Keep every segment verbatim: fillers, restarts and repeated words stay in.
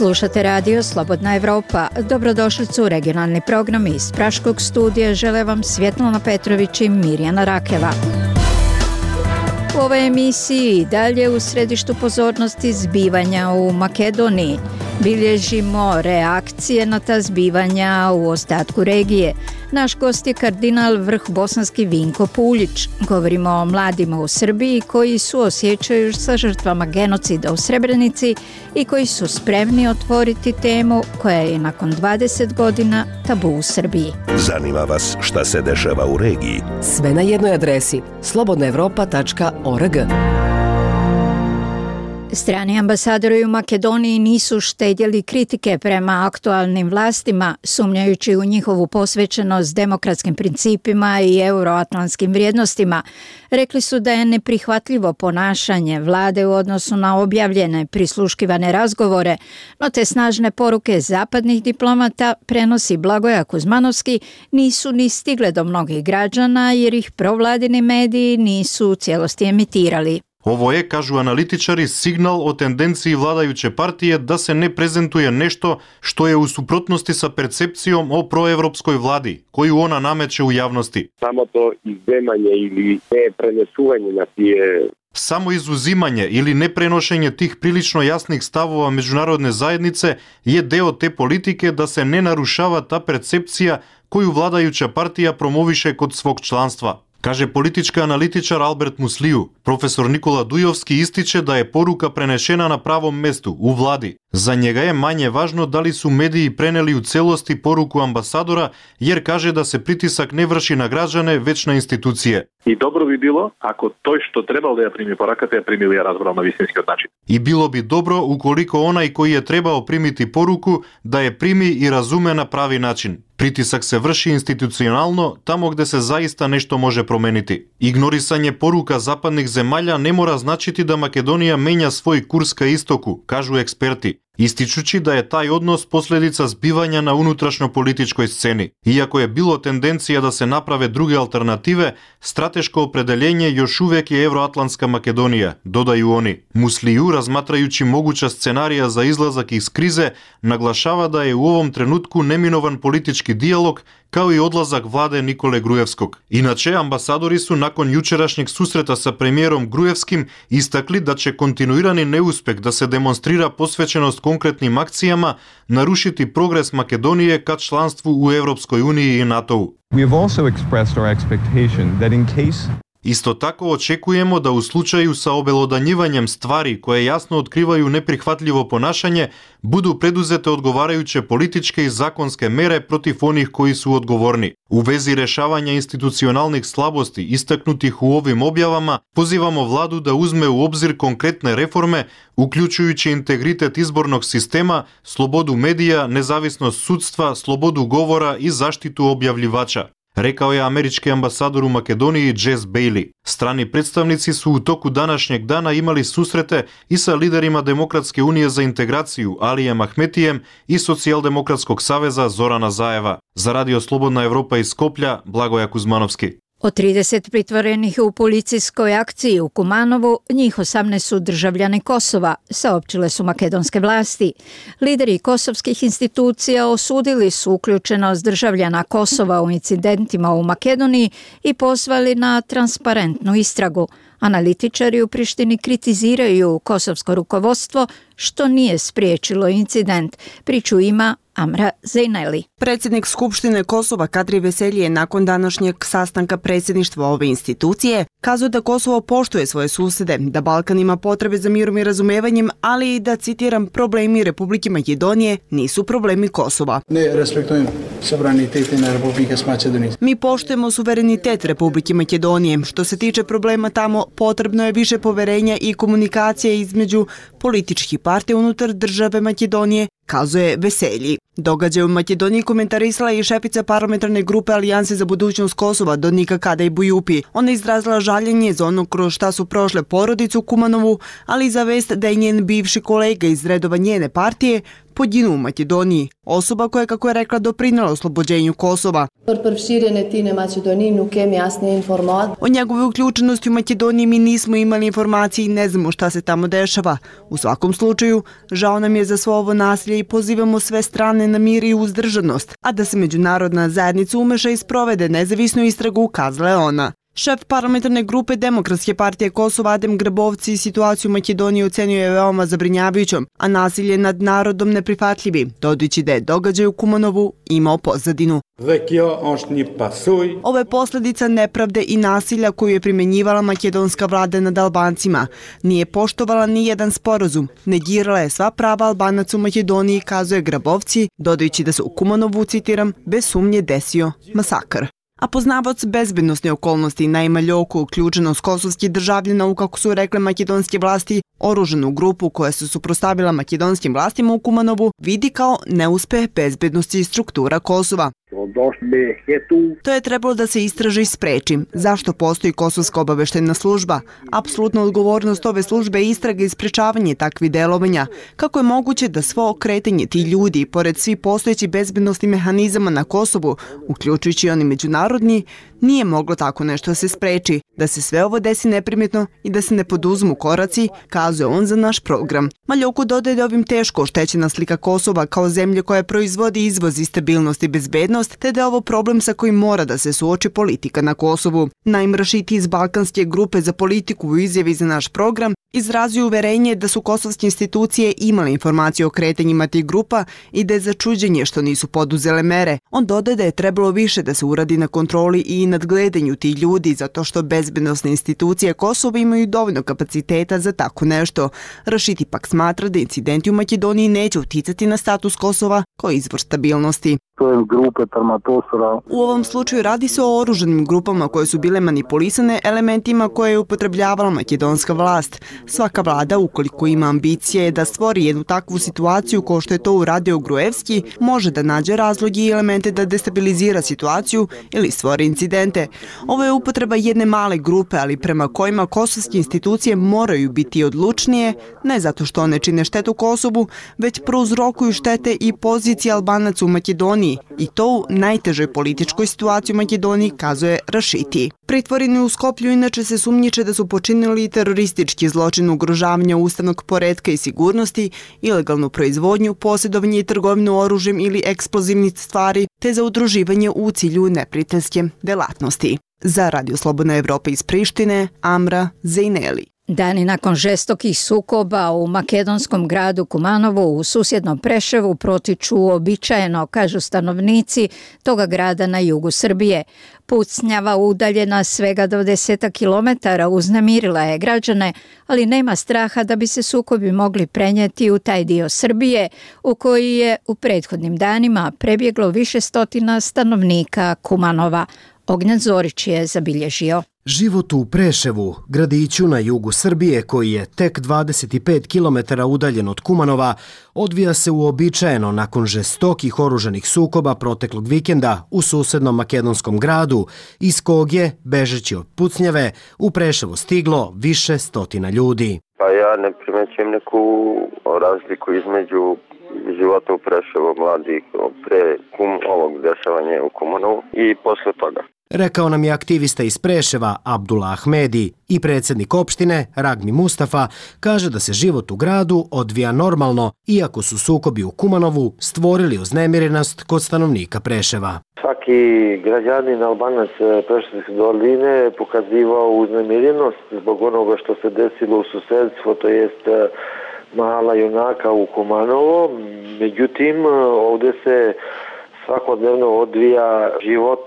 Slušate radio Slobodna Evropa. Dobrodošli u regionalni program iz Praškog studija. Žele vam Svjetlana Petrović i Mirjana Rakeva. U ovoj emisiji i dalje u središtu pozornosti zbivanja u Makedoniji. Bilježimo reakcije na ta zbivanja u ostatku regije. Naš gost je kardinal vrh bosanski Vinko Puljić. Govorimo o mladima u Srbiji koji suosjećaju sa žrtvama genocida u Srebrenici i koji su spremni otvoriti temu koja je nakon dvadeset godina tabu u Srbiji. Zanima vas šta se dešava u regiji? Sve na jednoj adresi slobodna evropa tačka org. Strani ambasadori u Makedoniji nisu štedjeli kritike prema aktualnim vlastima, sumnjajući u njihovu posvećenost demokratskim principima i euroatlantskim vrijednostima. Rekli su da je neprihvatljivo ponašanje vlade u odnosu na objavljene prisluškivane razgovore, no te snažne poruke zapadnih diplomata, prenosi Blagoja Kuzmanovski, nisu ni stigle do mnogih građana jer ih provladini mediji nisu u cijelosti emitirali. Ovo je, kažu analitičari, signal o tendenciji vladajuće partije da se ne prezentuje nešto što je u suprotnosti sa percepcijom o proevropskoj vladi, koju ona nameće u javnosti. Samo to izuzimanje ili ne prenesuvanje na tije... Samo izuzimanje ili neprenošenje tih prilično jasnih stavova međunarodne zajednice je deo te politike da se ne narušava ta percepcija koju vladajuća partija promoviše kod svog članstva. Kaže politički analitičar Albert Musliju. Profesor Nikola Dujovski ističe da je poruka prenešena na pravom mestu, u vladi. Za njega je manje važno da li su mediji preneli u celosti poruku ambasadora, jer kaže da se pritisak ne vrši na građane, već na institucije. I dobro bi bilo ako to što trebalo da ja primi poruka, te ja primili ja razbral na visinski način. I bilo bi dobro ukoliko onaj koji je trebao primiti poruku da je primi i razume na pravi način. Pritisak se vrši institucionalno tamo gde se zaista nešto može promeniti. Ignorisanje poruka zapadnih zemalja ne mora značiti da Makedonija menja svoj kurs ka istoku, kažu eksperti, ističući da je taj odnos posljedica zbivanja na unutrašnjo-političkoj sceni. Iako je bilo tendencija da se naprave druge alternative, strateško opredeljenje još uvijek je Evroatlantska Makedonija, dodaju oni. Musliju, razmatrajući moguća scenarija za izlazak iz krize, naglašava da je u ovom trenutku neminovan politički dijalog kao i odlazak vlade Nikole Grujevskog. Inače, ambasadori su nakon jučerašnjeg susreta sa premijerom Grujevskim istakli da će kontinuirani neuspjeh da se demonstrira posvećenost konkretnim akcijama narušiti progres Makedonije ka članstvu u Europskoj uniji i NATO-u. We have also expressed our expectation that in case Isto tako očekujemo da u slučaju sa obelodanjivanjem stvari koje jasno otkrivaju neprihvatljivo ponašanje budu preduzete odgovarajuće političke i zakonske mere protiv onih koji su odgovorni. U vezi rešavanja institucionalnih slabosti istaknutih u ovim objavama pozivamo vladu da uzme u obzir konkretne reforme, uključujući integritet izbornog sistema, slobodu medija, nezavisnost sudstva, slobodu govora i zaštitu objavljivača, rekao je američki ambasador u Makedoniji Jess Bailey. Strani predstavnici su u toku današnjeg dana imali susrete i sa liderima Demokratske unije za integraciju Alijem Ahmetijem i Socijaldemokratskog saveza Zorana Zajeva. Za radio Slobodna Evropa iz Skoplja, Blagoja Kuzmanovski. Od trideset pritvorenih u policijskoj akciji u Kumanovu, njih osamnaest su državljani Kosova, saopćile su makedonske vlasti. Lideri kosovskih institucija osudili su uključenost državljana Kosova u incidentima u Makedoniji i pozvali na transparentnu istragu. Analitičari u Prištini kritiziraju kosovsko rukovodstvo što nije spriječilo incident. Priču ima Amra Zejneli. Predsjednik Skupštine Kosova Kadri Veselji je nakon današnjeg sastanka predsjedništva ove institucije kazao da Kosovo poštuje svoje susjede, da Balkan ima potrebe za mirom i razumevanjem, ali i da, citiram, problemi Republike Makedonije nisu problemi Kosova. Ne respektujem suverenitet na Republike Makedonije. Mi poštujemo suverenitet Republike Makedonije. Što se tiče problema tamo, potrebno je više poverenja i komunikacije između političkih partija unutar države Makedonije, kazuje Veselji. Događaj u Makedoniji komentarisala je i šefica parlamentarne grupe Alijanse za budućnost Kosova Donika Kadej Bujupi. Ona je izrazila žaljenje za ono kroz šta su prošle porodicu Kumanovu, ali i za vest da je njen bivši kolega iz redova njene partije poginuo u Makedoniji. Osoba koja, kako je rekla, doprinela oslobođenju Kosova. O njegove uključenosti u Makedoniji mi nismo imali informacije i ne znamo šta se tamo dešava. U svakom slučaju, žao nam je za svo ovo nasilje i pozivamo sve strane na mir i uzdržanost, a da se međunarodna zajednica umeša i sprovede nezavisnu istragu, ukazala je ona. Šef parlamentarne grupe Demokratske partije Kosova Adem Grabovci situaciju u Makedoniji ocenio je veoma zabrinjavajućom, a nasilje nad narodom neprihvatljivi, dodajući da je događaj u Kumanovu imao pozadinu. Ovo je posljedica nepravde i nasilja koju je primjenjivala makedonska vlada nad Albancima. Nije poštovala ni jedan sporazum, negirala je sva prava Albanaca u Makedoniji, kazuje Grabovci, dodajući da se u Kumanovu, citiram, bez sumnje desio masakr. A poznavac bezbednostne okolnosti Naima Ljoku, uključenost kosovskih državljana u, kako su rekle makedonske vlasti, oružanu grupu koja se suprotstavila makedonskim vlastima u Kumanovu, vidi kao neuspeh bezbednosti struktura Kosova. To je trebalo da se istraži i spreči. Zašto postoji Kosovska obaveštajna služba? Apsolutna odgovornost ove službe je istraga i sprečavanje takvih delovanja. Kako je moguće da svo kretanje ti ljudi, pored svih postojećih bezbednostnih mehanizama na Kosovu, uključujući oni međunarodni, nije moglo tako nešto da se spreči, da se sve ovo desi neprimjetno i da se ne poduzmu koraci, kazuje on za naš program. Maljoku dodaje da ovim teško oštećena slika Kosova kao zemlje koja proizvodi izvoz i stabilnost i bezbednost, te da je ovo problem sa kojim mora da se suoči politika na Kosovu. Naim Rašiti iz Balkanske grupe za politiku u izjavi za naš program izrazio uverenje da su kosovske institucije imale informacije o kretanjima tih grupa i da je začuđenje što nisu poduzele mere. On dodaje da je trebalo više da se uradi na kontroli i nadgledanju tih ljudi zato što bezbednosne institucije Kosova imaju dovoljno kapaciteta za tako nešto. Rašiti pak smatra da incidenti u Makedoniji neće uticati na status Kosova kao izvor stabilnosti. U ovom slučaju radi se o oružanim grupama koje su bile manipulisane elementima koje je upotrebljavala makedonska vlast. Svaka vlada, ukoliko ima ambicije da stvori jednu takvu situaciju kao što je to uradio Gruevski, može da nađe razloge i elemente da destabilizira situaciju ili stvori incidente. Ovo je upotreba jedne male grupe, ali prema kojima kosovske institucije moraju biti odlučnije, ne zato što one čine štetu Kosovu, već prouzrokuju štete i pozicije Albanaca u Makedoniji, i to u najtežoj političkoj situaciji u Makedoniji, kazuje Rašiti. Pritvoreni u Skoplju inače se sumnjiče da su počinili teroristički zločin ugrožavanja ustavnog poretka i sigurnosti, ilegalnu proizvodnju, posjedovanje i trgovinu oružjem ili eksplozivnih stvari, te za udruživanje u cilju neprijateljske delatnosti. Za Radio Slobodna Evropa iz Prištine, Amra Zejneli. Dani nakon žestokih sukoba u makedonskom gradu Kumanovu u susjednom Preševu protiču uobičajeno, kažu stanovnici toga grada na jugu Srbije. Pucnjava udaljena svega dvadeset kilometara uznemirila je građane, ali nema straha da bi se sukobi mogli prenijeti u taj dio Srbije u koji je u prethodnim danima prebjeglo više stotina stanovnika Kumanova. Ognjen Zorić je zabilježio. Život u Preševu, gradiću na jugu Srbije koji je tek dvadeset pet kilometara udaljen od Kumanova, odvija se uobičajeno nakon žestokih oružanih sukoba proteklog vikenda u susednom makedonskom gradu, iz kog je, bežeći od pucnjave, u Preševo stiglo više stotina ljudi. Pa ja ne primećujem neku razliku između života u Preševu mladih pre kum, ovog dešavanja u Kumanovu i posle toga. Rekao nam je aktivista iz Preševa Abdullah Ahmedi i predsjednik opštine Ragmi Mustafa kaže da se život u gradu odvija normalno, iako su sukobi u Kumanovu stvorili uznemirenost kod stanovnika Preševa. Svaki građanin Albanac Preševske doline pokazivao uznemirenost zbog onoga što se desilo u susedstvu, to jest Mahala Junaka u Kumanovo. Međutim, ovdje se svakodnevno odvija život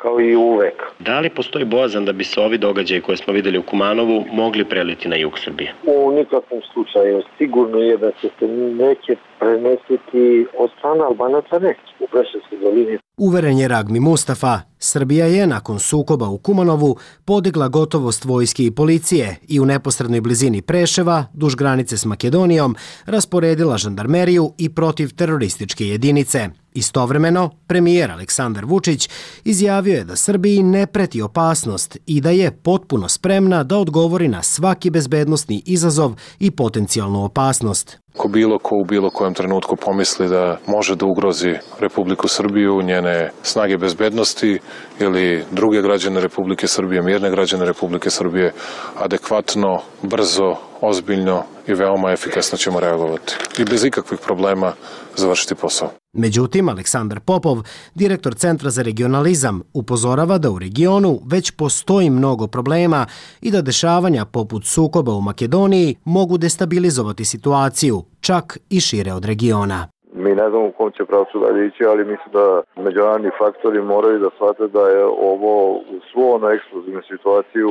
kao i uvek. Da li postoji bojazan da bi se ovi događaji koje smo videli u Kumanovu mogli preliti na jug Srbije? U nikakvom slučaju. Sigurno je da će se neće prenesiti od strana Albanaca neće u Preševskoj dolini. Uveren je Ragmi Mustafa, Srbija je nakon sukoba u Kumanovu podigla gotovost vojske i policije i u neposrednoj blizini Preševa, duž granice s Makedonijom, rasporedila žandarmeriju i protivterorističke jedinice. Istovremeno, premijer Aleksandar Vučić izjavio je da Srbiji ne preti opasnost i da je potpuno spremna da odgovori na svaki bezbednosni izazov i potencijalnu opasnost. Ko bilo ko u bilo kojem trenutku pomisli da može da ugrozi Republiku Srbiju, njene snage bezbednosti ili druge građane Republike Srbije, mirne građane Republike Srbije, adekvatno, brzo, ozbiljno i veoma efikasno ćemo reagovati i bez ikakvih problema završiti posao. Međutim, Aleksandar Popov, direktor Centra za regionalizam, upozorava da u regionu već postoji mnogo problema i da dešavanja poput sukoba u Makedoniji mogu destabilizovati situaciju, čak i šire od regiona. Mi ne znamo u kom će pravcu dalje ići, ali mislim da međunarodni faktori moraju da shvate da je ovo u svu ono eksplozivnu situaciju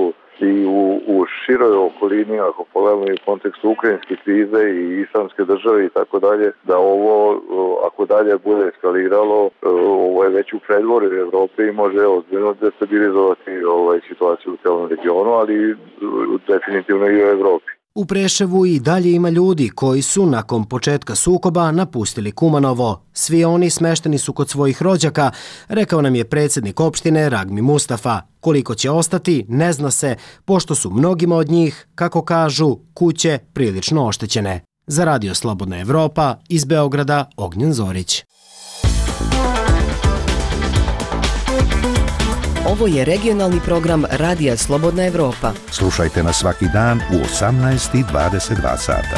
i u, u široj okolini, ako pogledamo i u kontekstu ukrajinske krize i islamske države i tako dalje, da ovo, ako dalje bude eskaliralo, ovo je već u predvorju Evrope i može ozbiljno destabilizovati ovaj situaciju u celom regionu, ali definitivno i u Evropi. U Preševu i dalje ima ljudi koji su nakon početka sukoba napustili Kumanovo. Svi oni smešteni su kod svojih rođaka, rekao nam je predsjednik opštine Ragmi Mustafa. Koliko će ostati, ne zna se, pošto su mnogima od njih, kako kažu, kuće prilično oštećene. Za Radio Slobodna Evropa, iz Beograda, Ognjen Zorić. Ovo je regionalni program Radija Slobodna Evropa. Slušajte nas svaki dan u osamnaest i dvadeset dva sata.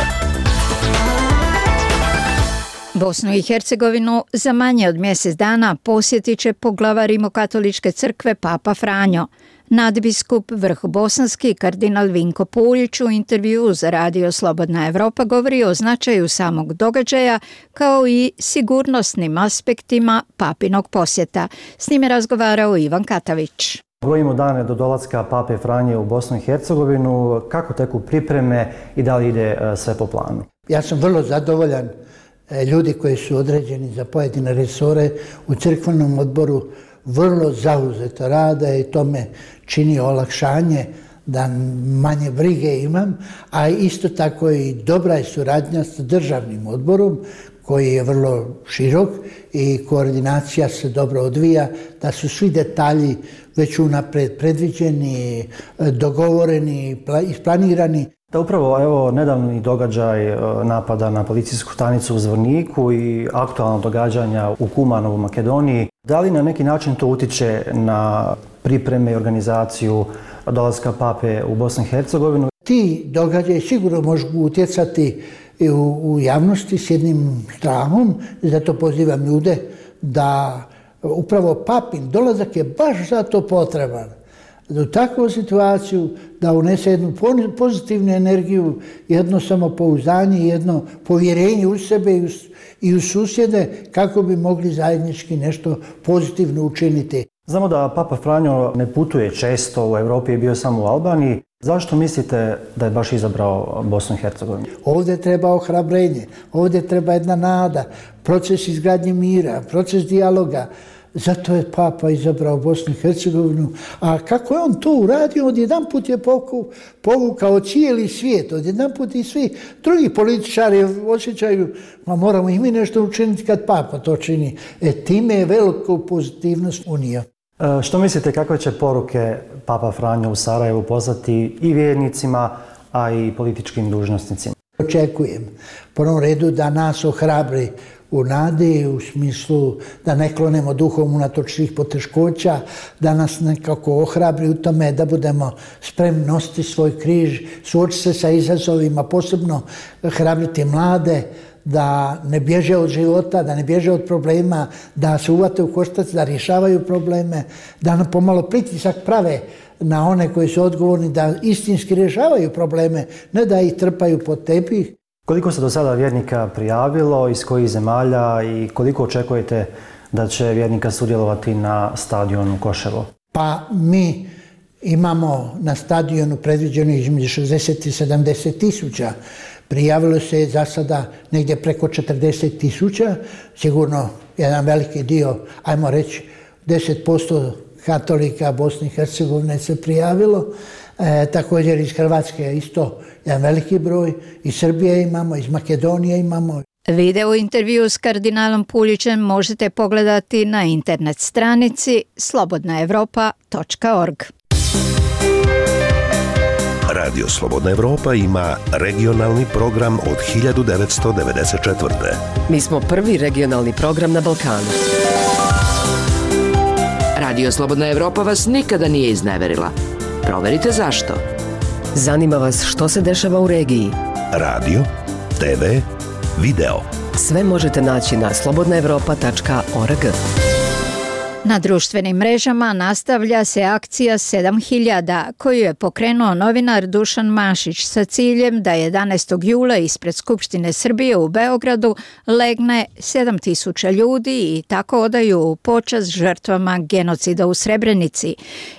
Bosnu i Hercegovinu za manje od mjesec dana posjetit će poglavar Rimokatoličke crkve Papa Franjo. Nadbiskup vrhobosanski kardinal Vinko Puljić u intervjuu za Radio Slobodna Evropa govori o značaju samog događaja kao i sigurnosnim aspektima papinog posjeta. S njime razgovarao Ivan Katavić. Brojimo dane do dolaska Pape Franje u Bosnu i Hercegovinu. Kako teku pripreme i da li ide sve po planu? Ja sam vrlo zadovoljan. Ljudi koji su određeni za pojedine resore u crkvenom odboru vrlo zauzeto rade i to me čini olakšanje da manje brige imam, a isto tako i dobra je suradnja sa državnim odborom koji je vrlo širok i koordinacija se dobro odvija, da su svi detalji već unapred predviđeni, dogovoreni, isplanirani. Da upravo evo nedavni događaj napada na policijsku stanicu u Zvorniku i aktualna događanja u Kumanovu, Makedoniji, da li na neki način to utiče na pripreme i organizaciju dolaska Pape u Bosnu i Hercegovinu? Ti događaji sigurno mogu utjecati i u, u javnosti s jednim strahom, zato pozivam ljude da upravo Papin dolazak je baš zato potreban. U takvu situaciju da unese jednu pozitivnu energiju, jedno samopouzdanje, jedno povjerenje u sebe i u, i u susjede kako bi mogli zajednički nešto pozitivno učiniti. Znamo da Papa Franjo ne putuje često, u Europi je bio samo u Albaniji. Zašto mislite da je baš izabrao Bosnu i Hercegovinu? Ovdje treba ohrabrenje, ovdje treba jedna nada, proces izgradnje mira, proces dijaloga. Zato je Papa izabrao Bosnu i Hercegovinu. A kako je on to uradio, odjedan put je povukao cijeli svijet, odjedan put i svi drugi političari osjećaju, ma moramo i mi nešto učiniti kad Papa to čini. E, time je veliku pozitivnost unija. E, što mislite, kakve će poruke Papa Franjo u Sarajevu poslati i vjernicima, a i političkim dužnosnicima? Očekujem, u prvom redu da nas ohrabri u nadi, u smislu da ne klonemo duhom unatoč svih poteškoća, da nas nekako ohrabri u tome da budemo spremni nositi svoj križ, suočiti se sa izazovima, posebno hrabriti mlade, da ne bježe od života, da ne bježe od problema, da se uvate u koštac, da rješavaju probleme, da nam pomalo pritisak prave na one koji su odgovorni da istinski rješavaju probleme, ne da ih trpaju pod tepih. Koliko se do sada vjernika prijavilo, iz kojih zemalja i koliko očekujete da će vjernika sudjelovati na stadionu Koševo? Pa mi imamo na stadionu predviđeno između šezdeset i sedamdeset tisuća. Prijavilo se za sada negdje preko četrdeset tisuća. Sigurno jedan veliki dio, ajmo reći, deset posto katolika Bosne i Hercegovine se prijavilo. E, također iz Hrvatske isto jedan veliki broj. Iz Srbije imamo, iz Makedonije imamo. Video intervju s kardinalom Puljićem možete pogledati na internet stranici slobodna evropa točka org. Radio Slobodna Evropa ima regionalni program od hiljadu devetsto devedeset četvrte. Mi smo prvi regionalni program na Balkanu. Radio Slobodna Evropa vas nikada nije izneverila. Proverite zašto. Zanima vas što se dešava u regiji? Radio, te ve, video. Sve možete naći na slobodna evropa tačka org. Na društvenim mrežama nastavlja se akcija sedam hiljada koju je pokrenuo novinar Dušan Mašić sa ciljem da jedanaestog jula ispred Skupštine Srbije u Beogradu legne sedam tisuća ljudi i tako odaju počast žrtvama genocida u Srebrenici.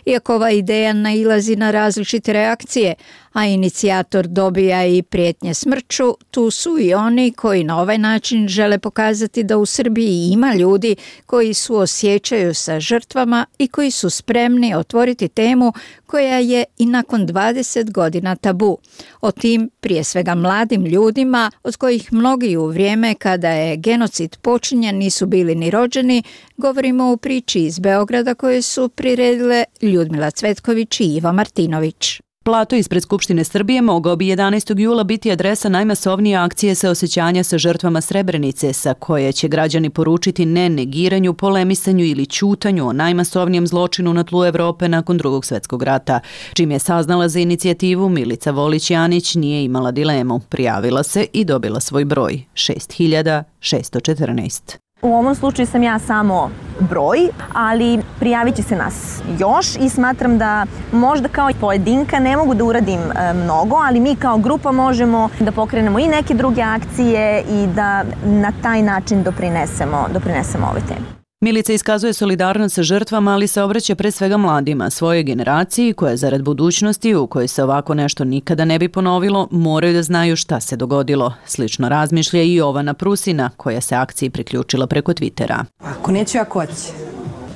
Iako ova ideja nailazi na različite reakcije, a inicijator dobija i prijetnje smrću, tu su i oni koji na ovaj način žele pokazati da u Srbiji ima ljudi koji suosjećaju sa žrtvama i koji su spremni otvoriti temu koja je i nakon dvadeset godina tabu. O tim, prije svega mladim ljudima, od kojih mnogi u vrijeme kada je genocid počinjen nisu bili ni rođeni, govorimo u priči iz Beograda koje su priredile Ljudmila Cvetković i Iva Martinović. Plato ispred Skupštine Srbije mogao bi jedanaestog jula biti adresa najmasovnije akcije saosećanja sa žrtvama Srebrenice, sa koje će građani poručiti ne negiranju, polemisanju ili ćutanju o najmasovnijem zločinu na tlu Evrope nakon Drugog svjetskog rata. Čim je saznala za inicijativu, Milica Volić-Janić nije imala dilemu. Prijavila se i dobila svoj broj šest hiljada šesto četrnaest. U ovom slučaju sam ja samo broj, ali prijavit će se nas još i smatram da možda kao pojedinka ne mogu da uradim mnogo, ali mi kao grupa možemo da pokrenemo i neke druge akcije i da na taj način doprinesemo, doprinesemo ove teme. Milica iskazuje solidarnost sa žrtvama, ali se obraća pre svega mladima, svojoj generaciji koja zarad budućnosti u kojoj se ovako nešto nikada ne bi ponovilo, moraju da znaju šta se dogodilo. Slično razmišlja i Jovana Prusina, koja se akciji priključila preko Twittera. Ako neću, ako hoće.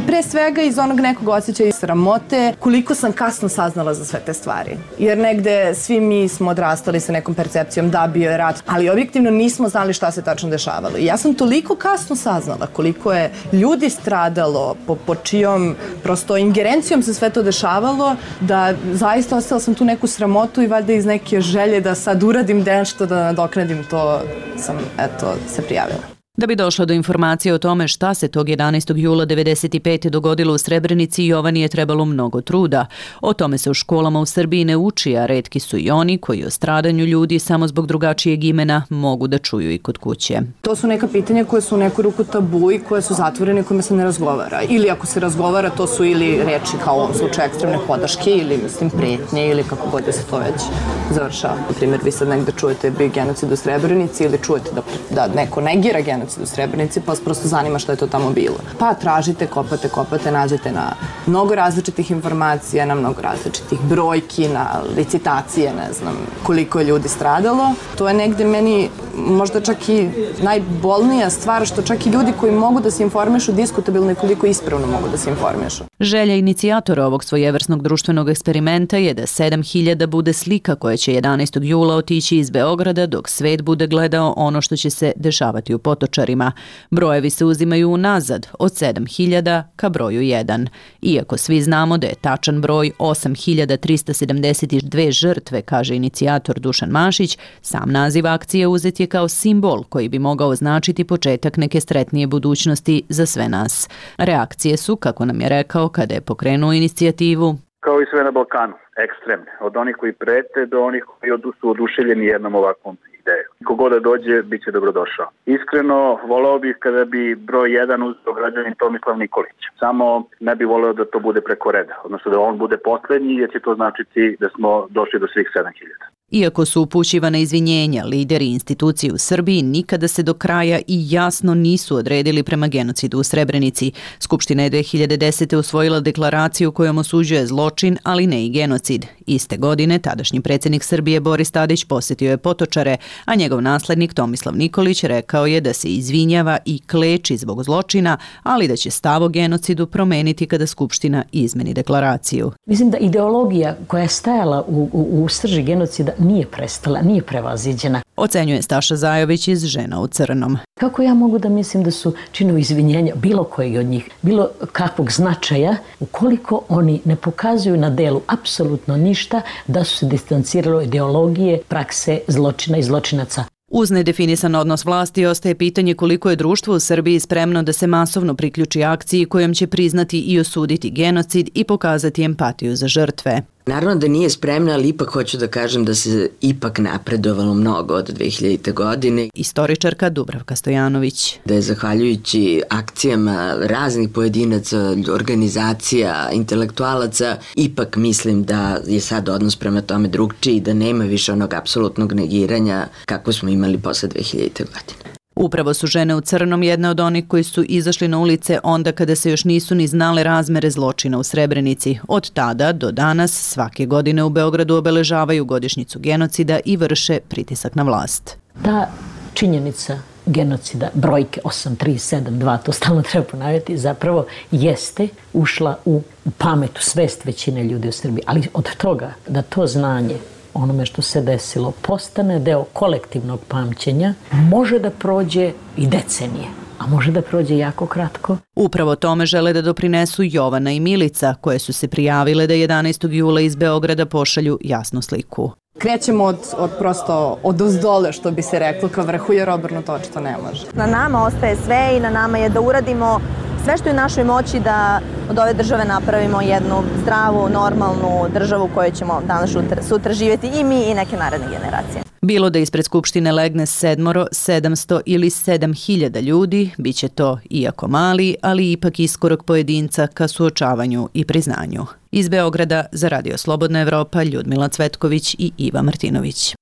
Pre svega iz onog nekog osjećaja sramote, koliko sam kasno saznala za sve te stvari. Jer negde svi mi smo odrastali sa nekom percepcijom da bio je rat, ali objektivno nismo znali šta se tačno dešavalo. I ja sam toliko kasno saznala koliko je ljudi stradalo, po, po čijom prosto ingerencijom se sve to dešavalo, da zaista ostala sam tu neku sramotu i valjda iz neke želje da sad uradim nešto, da nadoknadim to, sam eto se prijavila. Da bi došla do informacije o tome šta se tog jedanaestog jula devedeset pete dogodilo u Srebrenici, Jovani je trebalo mnogo truda. O tome se u školama u Srbiji ne uči, a retki su i oni koji o stradanju ljudi samo zbog drugačijeg imena mogu da čuju i kod kuće. To su neka pitanja koje su u neku ruku tabu i koje su zatvorene, kojima se ne razgovara. Ili ako se razgovara, to su ili reči kao u ovom slučaju ekstremne podrške ili mislim pretnje ili kako god da se to već završava. Na primjer, vi sad negde čujete bi genocid u Srebrenici ili čujete da, da neko negira genocid u Srebrenici, pa vas prosto zanima što je to tamo bilo. Pa tražite, kopate, kopate, nađete na mnogo različitih informacija, na mnogo različitih brojki, na licitacije, ne znam koliko je ljudi stradalo. To je negde meni možda čak i najbolnija stvar, što čak i ljudi koji mogu da se informišu diskutabilno i koliko ispravno mogu da se informišu. Želja inicijatora ovog svojevrsnog društvenog eksperimenta je da sedam hiljada bude slika koja će jedanaestog jula otići iz Beograda dok svet bude gledao ono što će se dešavati u Potočarima. Brojevi se uzimaju unazad od sedam hiljada ka broju jedan. Iako svi znamo da je tačan broj osam hiljada trista sedamdeset dve žrtve, kaže inicijator Dušan Mašić, sam naziv akcije uzet je kao simbol koji bi mogao značiti početak neke sretnije budućnosti za sve nas. Reakcije su, kako nam je rekao kada je pokrenuo inicijativu, kao i sve na Balkanu, ekstremne. Od onih koji prete do onih koji su oduševljeni jednom ovakvom idejom. Kogoda dođe, bit će dobrodošao. Iskreno, voleo bih kada bi broj jedan uzeo građanin Tomislav Nikolić. Samo ne bi voleo da to bude preko reda, odnosno da on bude poslednji, jer će to značiti da smo došli do svih sedam hiljada. Iako su upućivane izvinjenja, lideri institucije u Srbiji nikada se do kraja i jasno nisu odredili prema genocidu u Srebrenici. Skupština je dve hiljade desete. usvojila deklaraciju kojom osuđuje zločin, ali ne i genocid. Iste godine tadašnji predsjednik Srbije Boris Tadić posjetio je Potočare, a njegov naslednik Tomislav Nikolić rekao je da se izvinjava i kleči zbog zločina, ali da će stav o genocidu promeniti kada Skupština izmeni deklaraciju. Mislim da ideologija koja je stajala u, u, u srži genocida nije prestala, nije prevaziđena. Ocenjuje Staša Zajović iz Žena u crnom. Kako ja mogu da mislim da su činovi izvinjenja bilo koji od njih, bilo kakvog značaja, ukoliko oni ne pokazuju na delu apsolutno ništa da su se distancirali od ideologije, prakse, zločina i zločinaca. Uz nedefinisan odnos vlasti ostaje pitanje koliko je društvo u Srbiji spremno da se masovno priključi akciji kojom će priznati i osuditi genocid i pokazati empatiju za žrtve. Naravno da nije spremna, ali ipak hoću da kažem da se ipak napredovalo mnogo od dve hiljadite. godine. Istoričarka Dubravka Stojanović. Da je zahvaljujući akcijama raznih pojedinaca, organizacija, intelektualaca, ipak mislim da je sad odnos prema tome drugčiji i da nema više onog apsolutnog negiranja kako smo imali posle dve hiljadite. godine. Upravo su Žene u crnom jedne od onih koji su izašli na ulice onda kada se još nisu ni znale razmere zločina u Srebrenici. Od tada do danas svake godine u Beogradu obeležavaju godišnjicu genocida i vrše pritisak na vlast. Ta činjenica genocida, brojke osam tri sedam dva, to stalno treba ponavljati, zapravo jeste ušla u pamet, u svest većine ljudi u Srbiji. Ali od toga da to znanje onome što se desilo postane deo kolektivnog pamćenja, može da prođe i decenije, a može da prođe jako kratko. Upravo tome žele da doprinesu Jovana i Milica, koje su se prijavile da jedanaestog jula iz Beograda pošalju jasnu sliku. Krećemo od, od prosto od ozdole, što bi se reklo, ka vrhu, jer obrnuto očito ne može. Na nama ostaje sve i na nama je da uradimo sve što je u našoj moći da od ove države napravimo jednu zdravu, normalnu državu u kojoj ćemo danas sutra, sutra živjeti i mi i neke naredne generacije. Bilo da ispred Skupštine legne sedmoro, sedamsto ili sedam hiljada ljudi, bit će to iako mali, ali ipak iskorak pojedinca ka suočavanju i priznanju. Iz Beograda za Radio Slobodna Evropa Ljudmila Cvetković i Iva Martinović.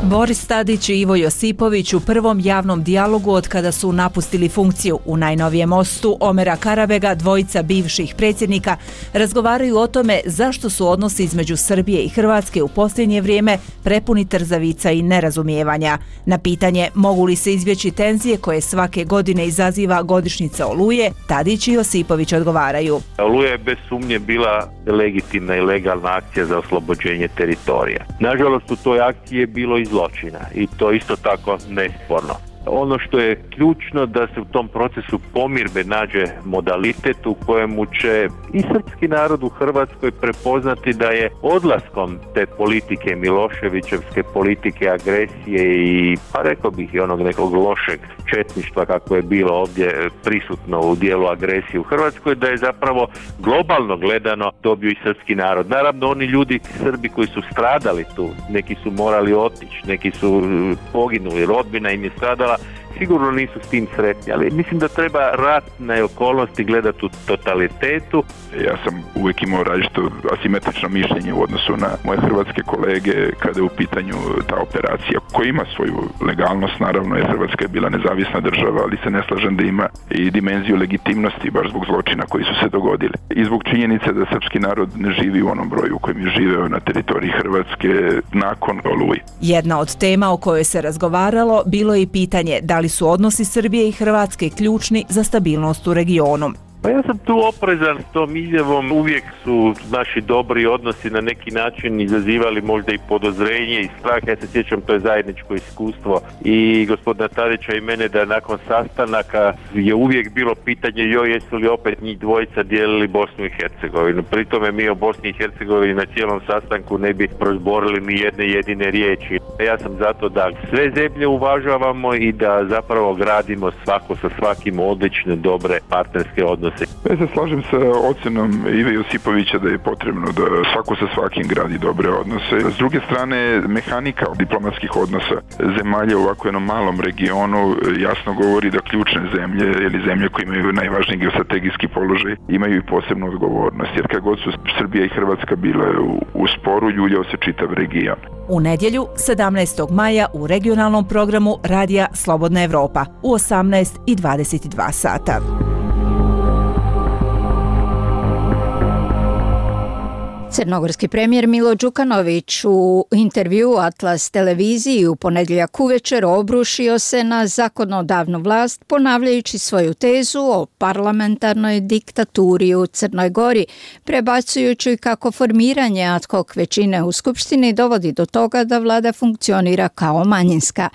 Boris Tadić i Ivo Josipović u prvom javnom dijalogu od kada su napustili funkciju. U najnovijem mostu Omera Karabega, dvojica bivših predsjednika, razgovaraju o tome zašto su odnosi između Srbije i Hrvatske u posljednje vrijeme prepuni trzavica i nerazumijevanja. Na pitanje mogu li se izbjeći tenzije koje svake godine izaziva godišnjica Oluje, Tadić i Josipović odgovaraju. Oluja je bez sumnje bila legitimna i legalna akcija za oslobođenje teritorija. Nažalost, u toj akciji je bilo i zločina i to isto tako nesporno. Ono što je ključno da se u tom procesu pomirbe nađe modalitet u kojemu će i srpski narod u Hrvatskoj prepoznati da je odlaskom te politike, Miloševićevske politike agresije i, pa rekao bih, i onog nekog lošeg četništva kako je bilo ovdje prisutno u dijelu agresije u Hrvatskoj, da je zapravo globalno gledano dobio i srpski narod. Naravno, oni ljudi, Srbi koji su stradali tu, neki su morali otići, neki su poginuli, rodbina im je stradala, sigurno nisu s tim sretni, ali mislim da treba ratne okolnosti gledati u totalitetu. Ja sam uvijek imao različito asimetrično mišljenje u odnosu na moje hrvatske kolege kada je u pitanju ta operacija koja ima svoju legalnost, naravno, jer Hrvatska je bila nezavisna država, ali se ne slažem da ima i dimenziju legitimnosti baš zbog zločina koji su se dogodili. I zbog činjenice da srpski narod ne živi u onom broju u kojem je živeo na teritoriji Hrvatske nakon Oluje. Jedna od tema o kojoj se razgovaralo bilo je i pitanje da li su odnosi Srbije i Hrvatske ključni za stabilnost u regionu. Pa ja sam tu oprezan s tom izjavom. Uvijek su naši dobri odnosi na neki način izazivali možda i podozrenje i strah. Ja se sjećam, to je zajedničko iskustvo i gospodina Tadića i mene, da nakon sastanaka je uvijek bilo pitanje joj jesu li opet njih dvojica dijelili Bosnu i Hercegovinu. Pri tome mi o Bosni i Hercegovini na cijelom sastanku ne bi prozborili ni jedne jedine riječi. Ja sam zato da sve zemlje uvažavamo i da zapravo gradimo svako sa svakim odlične, dobre partnerske odnose odnose. Ja se slažem sa ocenom Ive Josipovića da je potrebno da svako sa svakim gradi dobre odnose. S druge strane, mehanika diplomatskih odnosa zemalja u ovako jednom malom regionu jasno govori da ključne zemlje ili zemlje koje imaju najvažniji geostrategijski položaj imaju i posebnu odgovornost. Jer kad god su Srbija i Hrvatska bile u, u sporu, ljuljao se čitav region. U nedjelju, sedamnaestog maja, u regionalnom programu Radija Slobodna Evropa u osamnaest i dvadeset dva sata. Crnogorski premijer Milo Đukanović u intervjuu Atlas televiziji u ponedjeljak uvečer obrušio se na zakonodavnu vlast ponavljajući svoju tezu o parlamentarnoj diktaturi u Crnoj Gori, prebacujući kako formiranje ad hoc većine u Skupštini dovodi do toga da vlada funkcionira kao manjinska.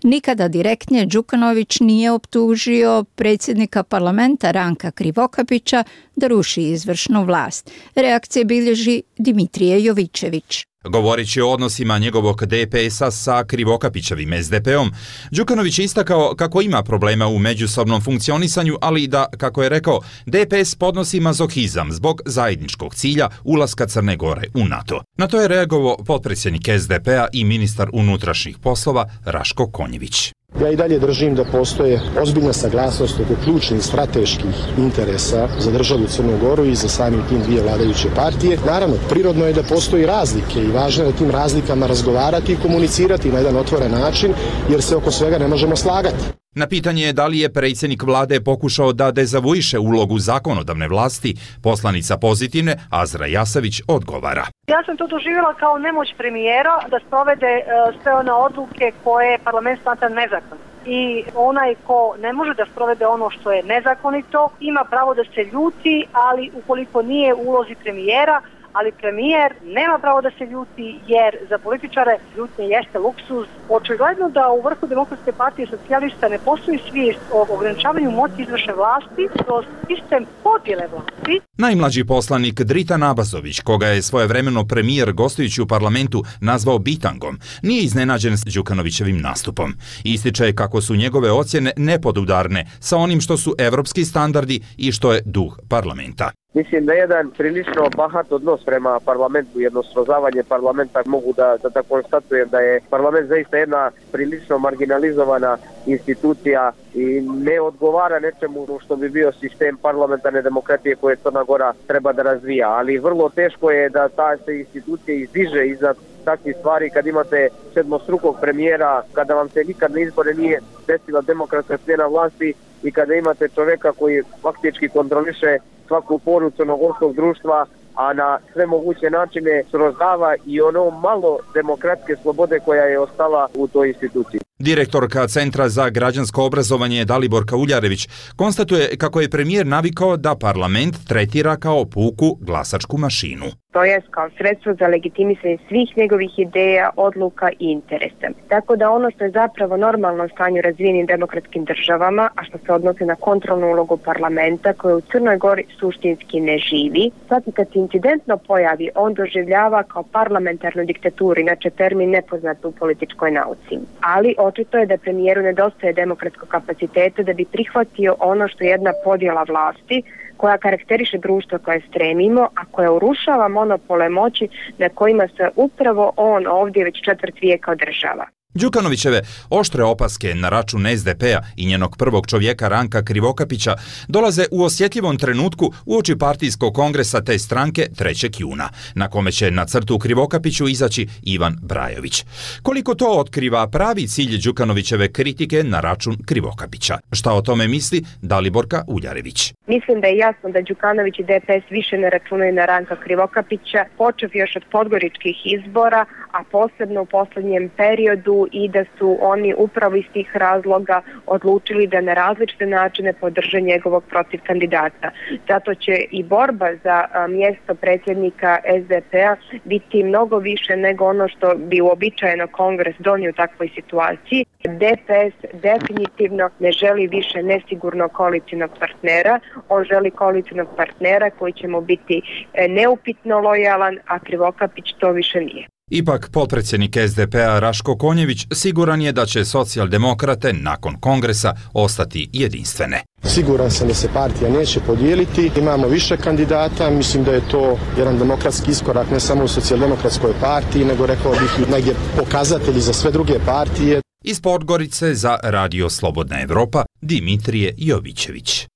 Nikada direktnije Đukanović nije optužio predsjednika parlamenta Ranka Krivokapića da ruši izvršnu vlast. Reakcije bilježi Dimitrije Jovičević. Govoreći o odnosima njegovog D P S-a sa Krivokapićevim S D P-om, Đukanović je istakao kako ima problema u međusobnom funkcionisanju, ali i da, kako je rekao, D P S podnosi mazohizam zbog zajedničkog cilja ulaska Crne Gore u NATO. Na to je reagovao potpredsjednik S D P-a i ministar unutrašnjih poslova Raško Konjević. Ja i dalje držim da postoje ozbiljna saglasnost oko ključnih strateških interesa za državu Crnu Goru i za samim tim dvije vladajuće partije. Naravno, prirodno je da postoji razlike i važno je da tim razlikama razgovarati i komunicirati na jedan otvoren način, jer se oko svega ne možemo slagati. Na pitanje da li je predsjednik vlade pokušao da dezavuiše ulogu zakonodavne vlasti, poslanica Pozitivne Azra Jasavić odgovara. Ja sam to doživjela kao nemoć premijera da sprovede uh, sve one odluke koje parlament smatra nezakonite. I onaj ko ne može da sprovede ono što je nezakonito ima pravo da se ljuti, ali ukoliko nije u ulozi premijera, ali premijer nema pravo da se ljuti jer za političare ljutnje jeste luksuz. Očigledno da u vrhu Demokratske partije socijalista ne postoji svijest o ograničavanju moći izvršne vlasti kroz sistem podjele vlasti. Najmlađi poslanik Dritan Abazović, koga je svojevremeno premijer gostujući u parlamentu nazvao bitangom, nije iznenađen s Đukanovićevim nastupom. Ističe kako su njegove ocjene nepodudarne sa onim što su evropski standardi i što je duh parlamenta. Mislim da je jedan prilično bahat odnos prema parlamentu, jedno srozavanje parlamenta. Mogu da, da, da konstatujem da je parlament zaista jedna prilično marginalizovana institucija i ne odgovara nečemu što bi bio sistem parlamentarne demokratije koje Crna Gora treba da razvija. Ali vrlo teško je da ta se institucija izdiže iznad takvih stvari kad imate sedmostrukog premijera, kada vam se nikad na izbore nije desila demokratska smjena vlasti i kada imate čovjeka koji faktički kontroliše svaku poru crnogorskog društva, a na sve moguće načine srozava i ono malo demokratske slobode koja je ostala u toj instituciji. Direktorka Centra za građansko obrazovanje Daliborka Uljarević konstatuje kako je premijer navikao da parlament tretira kao puku glasačku mašinu. To je kao sredstvo za legitimisanje svih njegovih ideja, odluka i interesa. Tako da ono što je zapravo normalno stanje u razvijenim demokratskim državama, a što se odnosi na kontrolnu ulogu parlamenta koja u Crnoj Gori suštinski ne živi, svaki kad se incidentno pojavi, on doživljava kao parlamentarnu diktaturu, inače termin nepoznat u političkoj nauci. Ali očito je da premijeru nedostaje demokratskog kapaciteta da bi prihvatio ono što je jedna podjela vlasti koja karakteriše društvo koje stremimo, a koja urušava monopole moći na kojima se upravo on ovdje već četvrt vijeka održava. Đukanovićeve oštre opaske na račun S D P-a i njenog prvog čovjeka Ranka Krivokapića dolaze u osjetljivom trenutku uoči partijskog kongresa te stranke trećeg juna, na kome će na crtu Krivokapiću izaći Ivan Brajović. Koliko to otkriva pravi cilj Đukanovićeve kritike na račun Krivokapića? Šta o tome misli Daliborka Uljarević? Mislim da je jasno da Đukanović i D P S više ne računaju na Ranka Krivokapića, počev još od podgoričkih izbora, a posebno u posljednjem periodu i da su oni upravo iz tih razloga odlučili da na različite načine podrže njegovog protiv kandidata. Zato će i borba za mjesto predsjednika S D P-a biti mnogo više nego ono što bi uobičajeno kongres donio u takvoj situaciji. D P S definitivno ne želi više nesigurnog koalicijnog partnera, on želi koalicijnog partnera koji će mu biti neupitno lojalan, a Krivokapić to više nije. Ipak, potpredsjednik S D P-a Raško Konjević siguran je da će socijaldemokrate nakon kongresa ostati jedinstvene. Siguran sam da se partija neće podijeliti. Imamo više kandidata, mislim da je to jedan demokratski iskorak ne samo u socijaldemokratskoj partiji, nego rekao bih negdje pokazatelji za sve druge partije. Iz Podgorice za Radio Slobodna Evropa, Dimitrije Jovićević.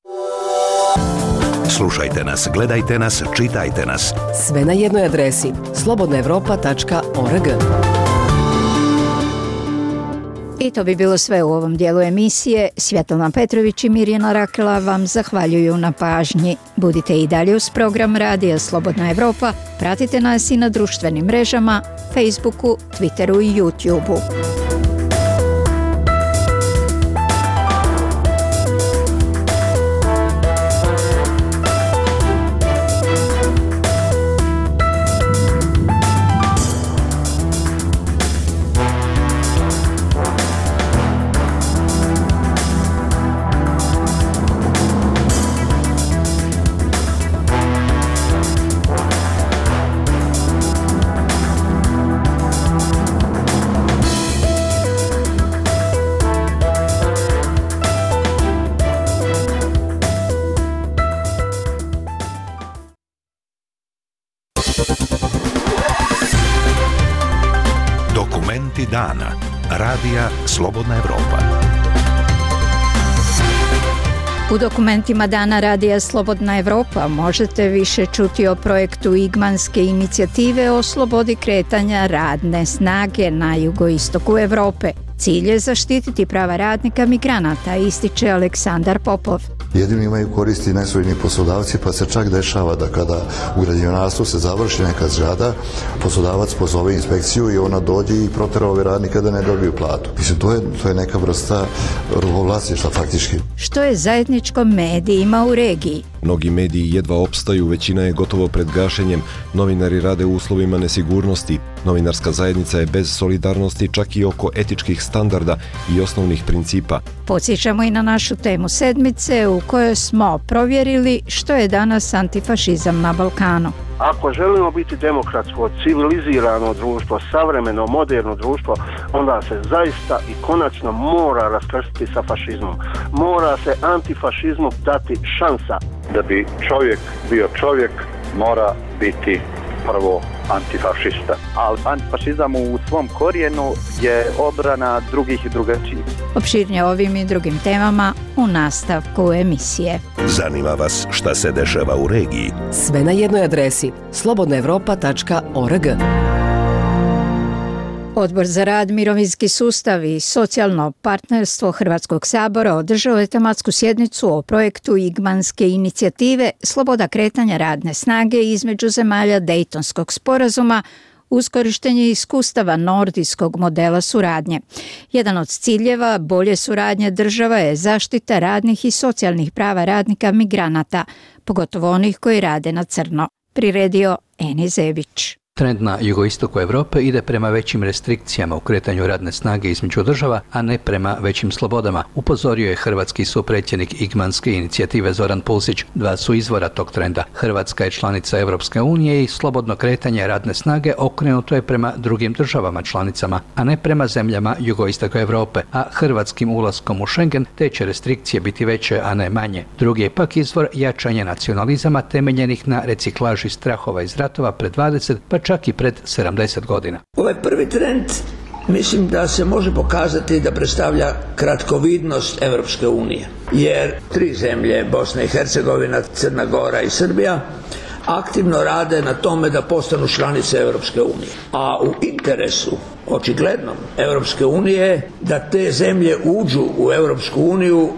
Slušajte nas, gledajte nas, čitajte nas. Sve na jednoj adresi slobodna evropa tačka org. I to bi bilo sve u ovom dijelu emisije. Svjetlana Petrović i Mirjana Rakela vam zahvaljuju na pažnji. Budite i dalje uz program Radija Slobodna Evropa. Pratite nas i na društvenim mrežama, Facebooku, Twitteru i YouTubeu. Dokumenti dana. Radija Slobodna Evropa. U dokumentima dana Radija Slobodna Evropa možete više čuti o projektu Igmanske inicijative o slobodi kretanja radne snage na jugoistoku Evrope. Cilj je zaštititi prava radnika migranata, ističe Aleksandar Popov. Jedino imaju koristi nesvojni poslodavci, pa se čak dešava da kada u građevinarstvu se završi neka zgrada, poslodavac pozove inspekciju i ona dođe i protera ove radnike da ne dobiju platu. Mislim, to je, to je neka vrsta robovlasništva faktički. Što je zajedničko medijima u regiji? Mnogi mediji jedva opstaju, većina je gotovo pred gašenjem, novinari rade u uslovima nesigurnosti, novinarska zajednica je bez solidarnosti čak i oko etičkih standarda i osnovnih principa. Podsjećamo i na našu temu sedmice u kojoj smo provjerili što je danas antifašizam na Balkanu. Ako želimo biti demokratsko, civilizirano društvo, savremeno, moderno društvo, onda se zaista i konačno mora raskrstiti sa fašizmom. Mora se antifašizmu dati šansa. Da bi čovjek bio čovjek, mora biti prvo antifašista. Ali antifašizam u svom korijenu je obrana drugih i drugačijih. Opširnije ovim i drugim temama u nastavku emisije. Zanima vas šta se dešava u regiji? Sve na jednoj adresi slobodna evropa tačka org. Odbor za rad, mirovinski sustav i socijalno partnerstvo Hrvatskog sabora održao je tematsku sjednicu o projektu Igmanske inicijative Sloboda kretanja radne snage između zemalja Dejtonskog sporazuma uz korištenje iskustava nordijskog modela suradnje. Jedan od ciljeva bolje suradnje država je zaštita radnih i socijalnih prava radnika migranata, pogotovo onih koji rade na crno. Priredio Eni Zebić. Trend na jugoistoku Europe ide prema većim restrikcijama u kretanju radne snage između država, a ne prema većim slobodama, upozorio je hrvatski supredsjednik Igmanske inicijative Zoran Pulsić. Dva su izvora tog trenda. Hrvatska je članica Europske unije i slobodno kretanje radne snage okrenuto je prema drugim državama članicama, a ne prema zemljama jugoistoka Europe, a hrvatskim ulaskom u Schengen te će restrikcije biti veće, a ne manje. Drugi je pak izvor jačanje nacionalizama temeljenih na reciklaži strahova iz ratova pred dvadeset pa čak i pred sedamdeset godina. Ovaj prvi trend mislim da se može pokazati da predstavlja kratkovidnost Europske unije, jer tri zemlje, Bosna i Hercegovina, Crna Gora i Srbija, aktivno rade na tome da postanu članice Europske unije. A u interesu, očiglednom, Europske unije da te zemlje uđu u Europsku uniju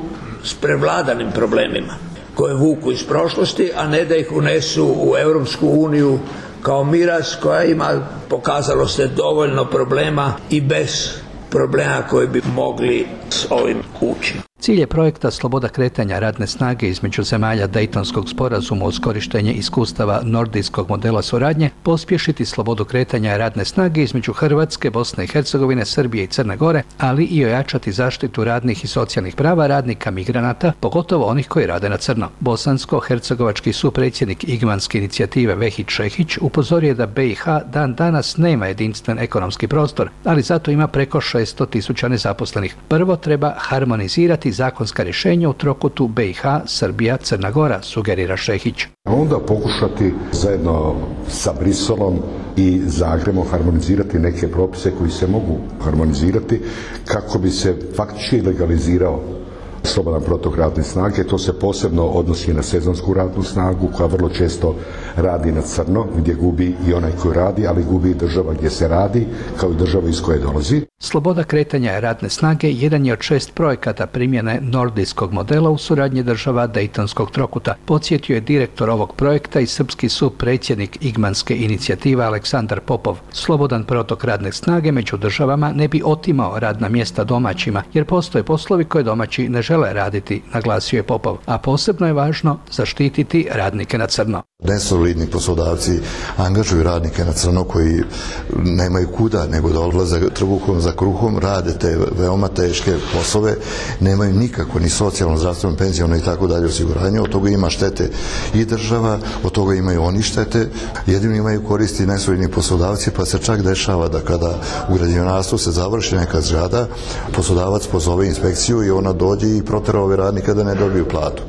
s prevladanim problemima koje vuku iz prošlosti, a ne da ih unesu u Europsku uniju kao miraz koja ima, pokazalo se, dovoljno problema i bez problema koji bi mogli s ovim ući. Cilj je projekta sloboda kretanja radne snage između zemalja Dejtonskog sporazuma uz korištenje iskustava nordijskog modela suradnje, pospješiti slobodu kretanja radne snage između Hrvatske, Bosne i Hercegovine, Srbije i Crne Gore, ali i ojačati zaštitu radnih i socijalnih prava radnika migranata, pogotovo onih koji rade na crno. Bosansko-hercegovački supredsjednik Igmanske inicijative Vehid Šehić upozorio je da B i H dan danas nema jedinstven ekonomski prostor, ali zato ima preko šesto tisuća nezaposlenih. Prvo treba harmonizirati zakonska rješenja u trokutu B i H, Srbija, Crna Gora, sugerira Šehić. Onda pokušati zajedno sa Briselom i Zagrebom harmonizirati neke propise koji se mogu harmonizirati kako bi se faktički legalizirao slobodan protok radne snage. To se posebno odnosi na sezonsku radnu snagu koja vrlo često radi na crno, gdje gubi i onaj koji radi, ali gubi i država gdje se radi, kao i država iz koje dolazi. Sloboda kretanja radne snage jedan je od šest projekata primjene nordijskog modela u suradnji država Dejtonskog trokuta. Podsjetio je direktor ovog projekta i srpski supredsjednik Igmanske inicijative Aleksandar Popov. Slobodan protok radne snage među državama ne bi otimao radna mjesta domaćima, jer postoje poslovi koje domaći ne žele raditi, naglasio je Popov, a posebno je važno zaštititi radnike na crno. Nesolidni poslodavci angažuju radnike na crno koji nemaju kuda nego da odlaze trbuhom za kruhom, rade te veoma teške poslove, nemaju nikako ni socijalno, zdravstveno, penziono i tako dalje osiguranje. Od toga ima štete i država, od toga imaju oni štete, jedino imaju koristi nesolidni poslodavci, pa se čak dešava da kada u građevinarstvu se završi neka zgrada, poslodavac pozove inspekciju i ona dođe i protera ove radnika da ne dobiju platu.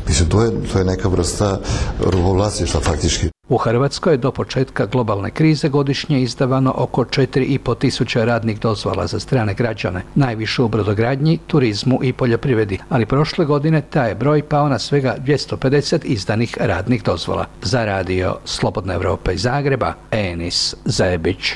Mislim, to je, to je neka vrsta robovlasništva faktički. U Hrvatskoj je do početka globalne krize godišnje izdavano oko četiri i po tisuća radnih dozvola za strane građane, najviše u brodogradnji, turizmu i poljoprivredi, ali prošle godine taj je broj pao na svega dvjesto pedeset izdanih radnih dozvola. Za radio Slobodna Evropa iz Zagreba, Enis Zajebić.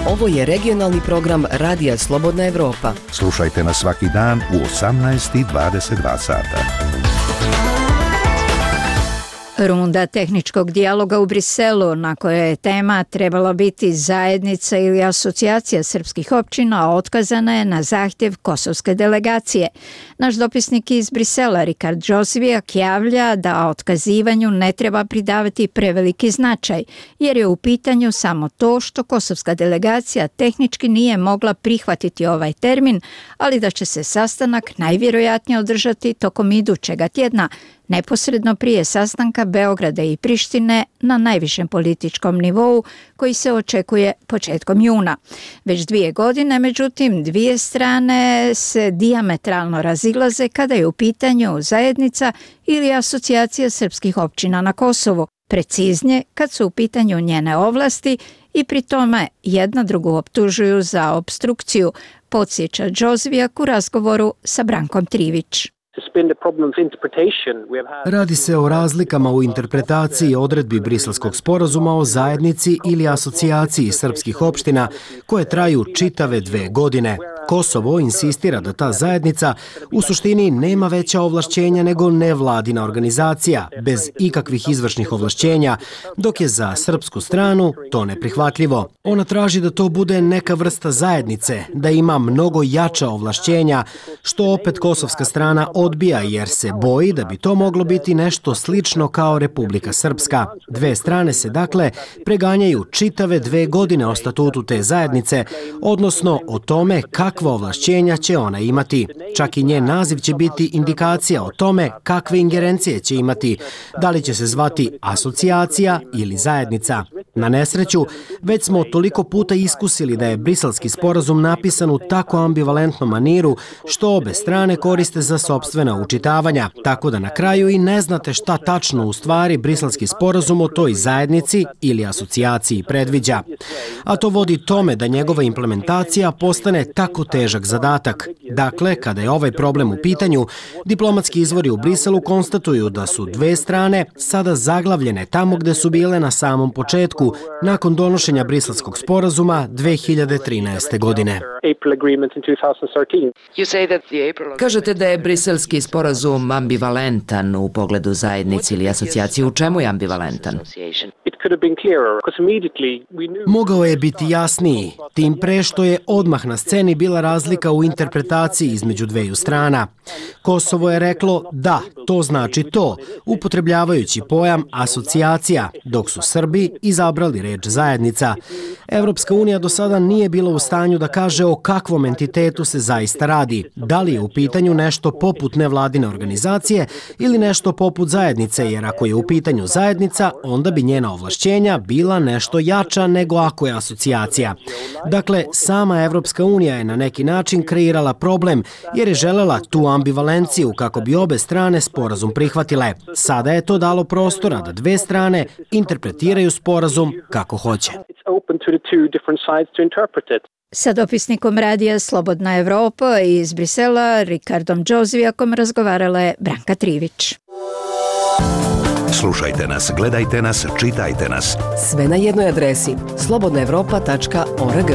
Ovo je regionalni program Radija Slobodna Evropa. Slušajte nas svaki dan u osamnaest i dvadeset dva sata. Runda tehničkog dijaloga u Briselu, na kojoj je tema trebala biti zajednica ili asocijacija srpskih općina, otkazana je na zahtjev kosovske delegacije. Naš dopisnik iz Brisela, Rikard Džozvijak, javlja da otkazivanju ne treba pridavati preveliki značaj, jer je u pitanju samo to što kosovska delegacija tehnički nije mogla prihvatiti ovaj termin, ali da će se sastanak najvjerojatnije održati tokom idućega tjedna, neposredno prije sastanka Beograda i Prištine na najvišem političkom nivou koji se očekuje početkom juna. Već dvije godine, međutim, dvije strane se dijametralno razilaze kada je u pitanju zajednica ili asocijacija srpskih općina na Kosovu, preciznije kad su u pitanju njene ovlasti i pri tome jedna drugu optužuju za obstrukciju, podsjeća Džozvijak u razgovoru sa Brankom Trivić. Radi se o razlikama u interpretaciji odredbi Briselskog sporazuma o zajednici ili asocijaciji srpskih opština koje traju čitave dve godine. Kosovo insistira da ta zajednica u suštini nema veća ovlašćenja nego nevladina organizacija, bez ikakvih izvršnih ovlašćenja, dok je za srpsku stranu to neprihvatljivo. Ona traži da to bude neka vrsta zajednice, da ima mnogo jača ovlašćenja, što opet kosovska strana odbija jer se boji da bi to moglo biti nešto slično kao Republika Srpska. Dve strane se dakle preganjaju čitave dve godine o statutu te zajednice, odnosno o tome kakva ovlašćenja će ona imati. Čak i njen naziv će biti indikacija o tome kakve ingerencije će imati, da li će se zvati asocijacija ili zajednica. Na nesreću, već smo toliko puta iskusili da je briselski sporazum napisan u tako ambivalentnom maniru što obe strane koriste za sopstvena učitavanja, tako da na kraju i ne znate šta tačno u stvari briselski sporazum o toj zajednici ili asocijaciji predviđa. A to vodi tome da njegova implementacija postane tako težak zadatak. Dakle, kada je ovaj problem u pitanju, diplomatski izvori u Briselu konstatuju da su dve strane sada zaglavljene tamo gde su bile na samom početku, nakon donošenja briselskog sporazuma dve hiljade trinaeste. godine. Kažete da je briselski sporazum ambivalentan u pogledu zajednice ili asocijacije. U čemu je ambivalentan? Mogao je biti jasniji, tim pre što je odmah na sceni bila razlika u interpretaciji između dveju strana. Kosovo je reklo da, to znači to, upotrebljavajući pojam asocijacija, dok su Srbi izabrali reč zajednica. Evropska unija do sada nije bila u stanju da kaže o kakvom entitetu se zaista radi. Da li je u pitanju nešto poput nevladine organizacije ili nešto poput zajednice, jer ako je u pitanju zajednica, onda bi njena ovlašćenja bila nešto jača nego ako je asocijacija. Dakle, sama Evropska unija je na neki način kreirala problem, jer je želela tu ambivalenciju kako bi obe strane sporazum prihvatile. Sada je to dalo prostora da dve strane interpretiraju sporazum kako hoće. Sa dopisnikom radija Slobodna Evropa iz Brisela, Rikardom Džozvijakom, razgovarala je Branka Trivić. Slušajte nas, gledajte nas, čitajte nas. Sve na jednoj adresi slobodna evropa tačka org.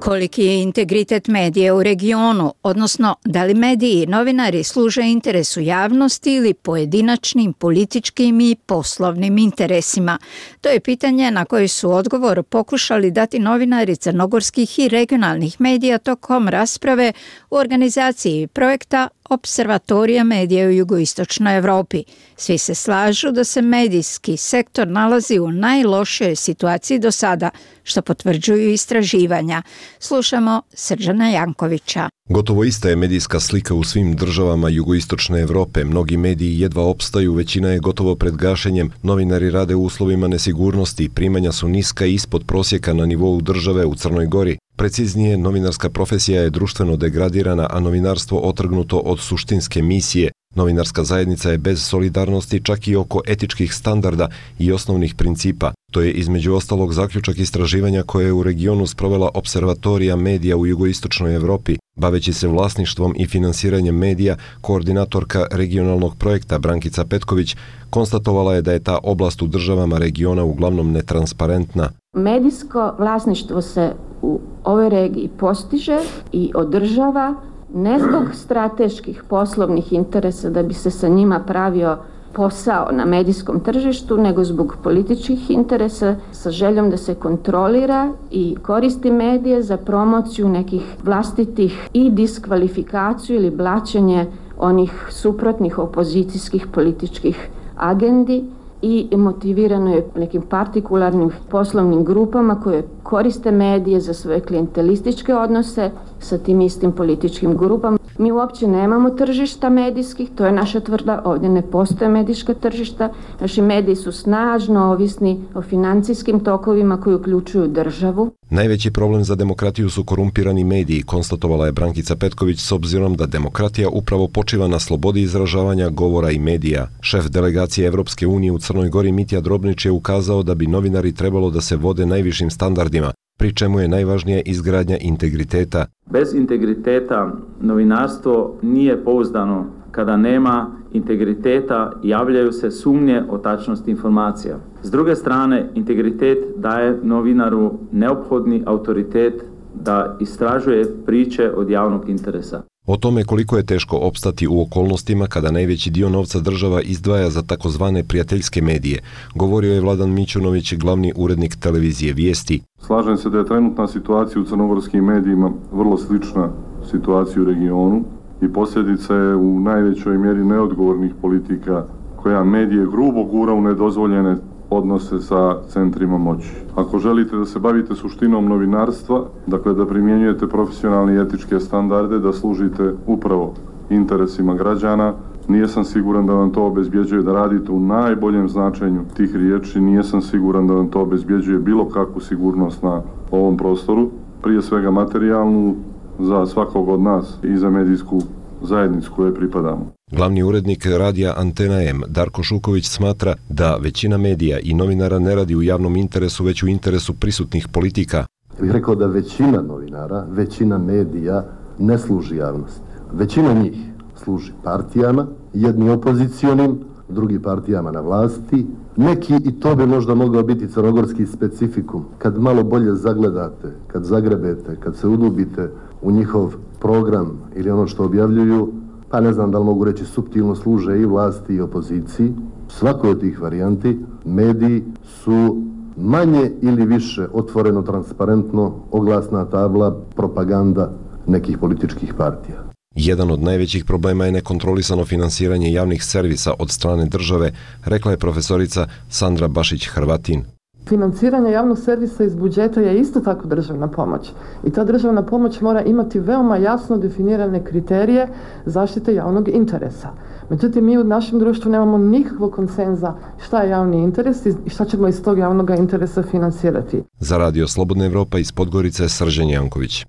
Koliki je integritet medija u regionu, odnosno da li mediji i novinari služe interesu javnosti ili pojedinačnim političkim i poslovnim interesima? To je pitanje na koje su odgovor pokušali dati novinari crnogorskih i regionalnih medija tokom rasprave u organizaciji projekta Observatorija medija u jugoistočnoj Evropi. Svi se slažu da se medijski sektor nalazi u najlošijoj situaciji do sada, što potvrđuju istraživanja. Slušamo Srđana Jankovića. Gotovo ista je medijska slika u svim državama jugoistočne Evrope. Mnogi mediji jedva opstaju, većina je gotovo pred gašenjem. Novinari rade u uslovima nesigurnosti, primanja su niska i ispod prosjeka na nivou države u Crnoj Gori. Preciznije, novinarska profesija je društveno degradirana, a novinarstvo otrgnuto od suštinske misije. Novinarska zajednica je bez solidarnosti čak i oko etičkih standarda i osnovnih principa. To je između ostalog zaključak istraživanja koje je u regionu sprovela Observatorija medija u jugoistočnoj Evropi. Baveći se vlasništvom i finansiranjem medija, koordinatorka regionalnog projekta Brankica Petković konstatovala je da je ta oblast u državama regiona uglavnom netransparentna. Medijsko vlasništvo se u ovoj regiji postiže i održava ne zbog strateških poslovnih interesa da bi se sa njima pravio posao na medijskom tržištu, nego zbog političkih interesa sa željom da se kontrolira i koristi medije za promociju nekih vlastitih i diskvalifikaciju ili blaćenje onih suprotnih opozicijskih političkih agendi i motivirano je nekim partikularnim poslovnim grupama koje koriste medije za svoje klijentelističke odnose sa tim istim političkim grupama. Mi uopće nemamo tržišta medijskih, to je naša tvrda, ovdje ne postoje medijska tržišta. Naši mediji su snažno ovisni o financijskim tokovima koji uključuju državu. Najveći problem za demokratiju su korumpirani mediji, konstatovala je Brankica Petković, s obzirom da demokratija upravo počiva na slobodi izražavanja, govora i medija. Šef delegacije Evropske unije u Crnoj Gori Mitja Drobnić je ukazao da bi novinari trebalo da se vode najvišim standardima, pri čemu je najvažnija izgradnja integriteta. Bez integriteta novinarstvo nije pouzdano. Kada nema integriteta, javljaju se sumnje o tačnosti informacija. S druge strane, integritet daje novinaru neophodni autoritet da istražuje priče od javnog interesa. O tome koliko je teško opstati u okolnostima kada najveći dio novca država izdvaja za takozvane prijateljske medije, govorio je Vladan Mićunović, glavni urednik televizije Vijesti. Slažem se da je trenutna situacija u crnogorskim medijima vrlo slična situaciji u regionu i posljedica je u najvećoj mjeri neodgovornih politika koja medije grubo gura u nedozvoljene odnose sa centrima moći. Ako želite da se bavite suštinom novinarstva, dakle da primjenjujete profesionalne i etičke standarde, da služite upravo interesima građana, nijesam siguran da vam to obezbjeđuje da radite u najboljem značenju tih riječi, nijesam siguran da vam to obezbjeđuje bilo kakvu sigurnost na ovom prostoru, prije svega materijalnu za svakog od nas i za medijsku zajednicu kojoj pripadamo. Glavni urednik radija Antena M, Darko Šuković, smatra da većina medija i novinara ne radi u javnom interesu, već u interesu prisutnih politika. Ja bih rekao da većina novinara, većina medija ne služi javnosti. Većina njih služi partijama, jedni opozicionim, drugi partijama na vlasti. Neki, i to bi možda mogao biti crnogorski specifikum, kad malo bolje zagledate, kad zagrebete, kad se udubite u njihov program ili ono što objavljuju, pa ne znam da li mogu reći suptilno služe i vlasti i opoziciji. svakoj od tih varijanti mediji su manje ili više otvoreno, transparentno, oglasna tabla, propaganda nekih političkih partija. Jedan od najvećih problema je nekontrolisano finansiranje javnih servisa od strane države, rekla je profesorica Sandra Bašić-Hrvatin. Financiranje javnog servisa iz budžeta je isto tako državna pomoć. I ta državna pomoć mora imati veoma jasno definirane kriterije zaštite javnog interesa. Međutim, mi u našem društvu nemamo nikakvog konsenza šta je javni interes i šta ćemo iz tog javnog interesa financirati. Za Radio Slobodna Evropa iz Podgorice, Srđan Janković.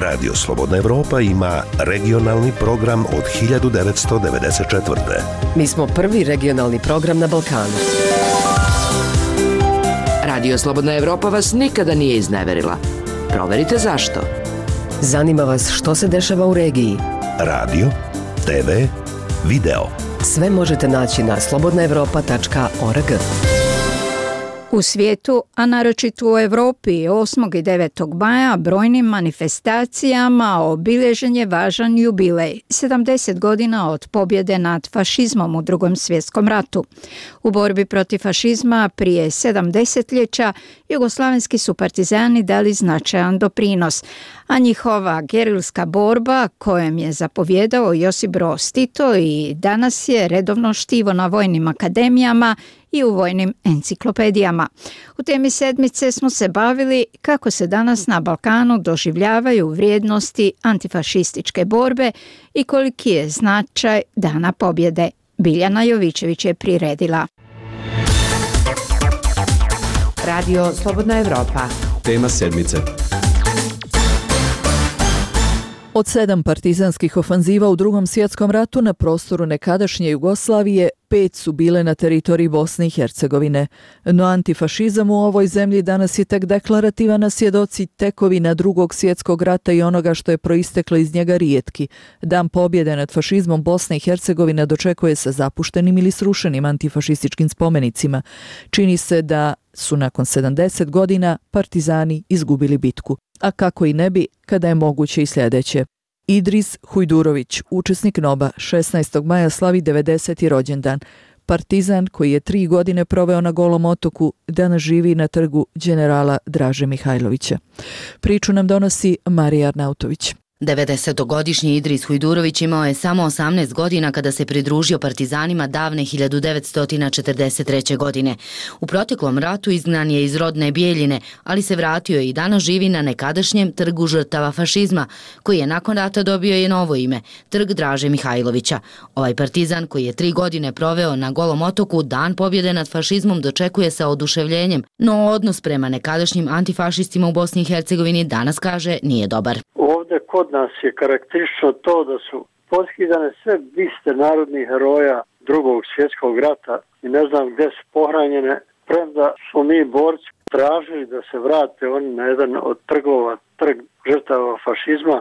Radio Slobodna Evropa ima regionalni program od hiljadu devetsto devedeset četvrte. Mi smo prvi regionalni program na Balkanu. Radio Slobodna Evropa vas nikada nije izneverila. Proverite zašto. Zanima vas što se dešava u regiji. Radio, te ve, video. Sve možete naći na slobodna evropa tačka org. U svijetu, a naročito u Europi, osmog i devetog maja brojnim manifestacijama obilježen je važan jubilej, sedamdeset godina od pobjede nad fašizmom u Drugom svjetskom ratu. U borbi protiv fašizma prije sedam desetljeća jugoslavenski su partizani dali značajan doprinos, a njihova gerilska borba, kojom je zapovjedao Josip Broz Tito, i danas je redovno štivo na vojnim akademijama i u vojnim enciklopedijama. U temi sedmice smo se bavili kako se danas na Balkanu doživljavaju vrijednosti antifašističke borbe i koliki je značaj Dana pobjede. Biljana Jovićević je priredila. Radio Slobodna Evropa. Tema sedmice. Od sedam partizanskih ofanziva u Drugom svjetskom ratu na prostoru nekadašnje Jugoslavije, pet su bile na teritoriji Bosne i Hercegovine. No antifašizam u ovoj zemlji danas je tek deklarativan, a svjedoci tekovina Drugog svjetskog rata i onoga što je proisteklo iz njega rijetki. Dan pobjede nad fašizmom Bosne i Hercegovine dočekuje se zapuštenim ili srušenim antifašističkim spomenicima. Čini se da su nakon sedamdeset godina partizani izgubili bitku. A kako i ne bi, kada je moguće i sljedeće. Idris Hujdurović, učesnik N O B-a, šesnaestog maja slavi devedeseti rođendan. Partizan koji je tri godine proveo na Golom otoku, danas živi na trgu generala Draže Mihajlovića. Priču nam donosi Marija Arnautović. devedesetogodišnji Idris Hujdurović imao je samo osamnaest godina kada se pridružio partizanima davne hiljadu devetsto četrdeset treće. godine. U proteklom ratu izgnan je iz rodne Bijeljine, ali se vratio i danas živi na nekadašnjem trgu žrtava fašizma, koji je nakon rata dobio i novo ime, trg Draže Mihajlovića. Ovaj partizan koji je tri godine proveo na Golom otoku, dan pobjede nad fašizmom dočekuje sa oduševljenjem, no odnos prema nekadašnjim antifašistima u Bosni i Hercegovini danas, kaže, nije dobar. Ovdje kod nas je karakteristično to da su poskidane sve biste narodnih heroja Drugog svjetskog rata i ne znam gdje su pohranjene, premda smo mi borci tražili da se vrate oni na jedan od trgova, trg žrtava fašizma,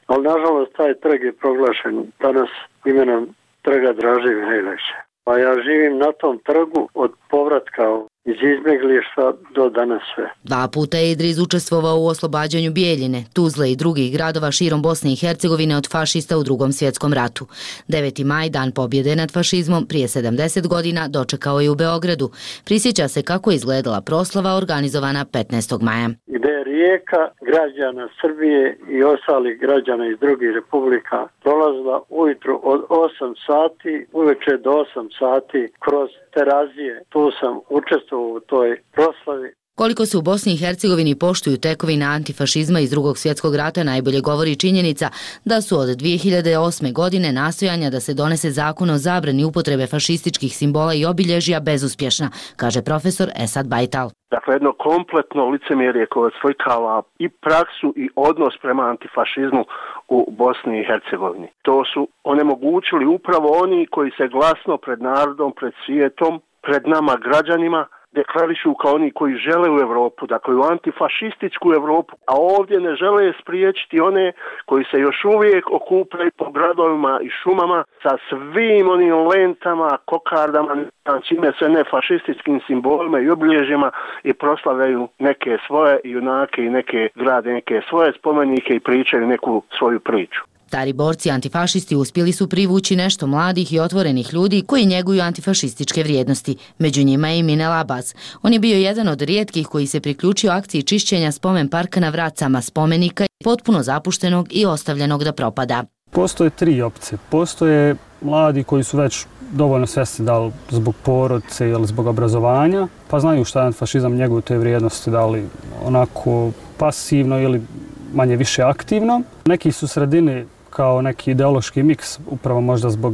ali nažalost taj trg je proglašen danas imenom trga Draže Mihajlovića. Pa ja živim na tom trgu od povratka iz izbjeglištva do danas sve. Dva puta je Idris učestvovao u oslobađanju Bijeljine, Tuzle i drugih gradova širom Bosne i Hercegovine od fašista u Drugom svjetskom ratu. deveti maj, dan pobjede nad fašizmom, prije sedamdeset godina dočekao je u Beogradu. Prisjeća se kako je izgledala proslava organizovana petnaestog maja. Gde je rijeka građana Srbije i ostalih građana iz drugih republika prolazila ujutru od osam sati, uveče do osam sati kroz Terazije. Tu sam učestvovao u toj proslavi. Koliko se u Bosni i Hercegovini poštuju tekovine antifašizma iz Drugog svjetskog rata najbolje govori činjenica da su od dvije hiljade osme. godine nastojanja da se donese zakon o zabrani upotrebe fašističkih simbola i obilježja bezuspješna, kaže profesor Esad Bajtal. Dakle, jedno kompletno licemjerje koje oslikava i praksu i odnos prema antifašizmu u Bosni i Hercegovini. To su onemogućili upravo oni koji se glasno pred narodom, pred svijetom, pred nama građanima deklarišu kao oni koji žele u Europu, dakle u antifašističku Europu, a ovdje ne žele spriječiti one koji se još uvijek okupljaju po gradovima i šumama sa svim onim lentama, kokardama, čime se ne fašističkim simbolima i obilježjima i proslavljaju neke svoje junake i neke grade, neke svoje spomenike i pričaju neku svoju priču. Stari borci antifašisti uspjeli su privući nešto mladih i otvorenih ljudi koji njeguju antifašističke vrijednosti. Među njima je i Minel Abbas. On je bio jedan od rijetkih koji se priključio akciji čišćenja spomen parka na Vracama, spomenika potpuno zapuštenog i ostavljenog da propada. Postoje tri opcije. Postoje mladi koji su već dovoljno svjesni da li zbog porodice ili zbog obrazovanja, pa znaju šta je antifašizam, njeguju te vrijednosti, da li onako pasivno ili manje više aktivno. Neki su sredini kao neki ideološki miks, upravo možda zbog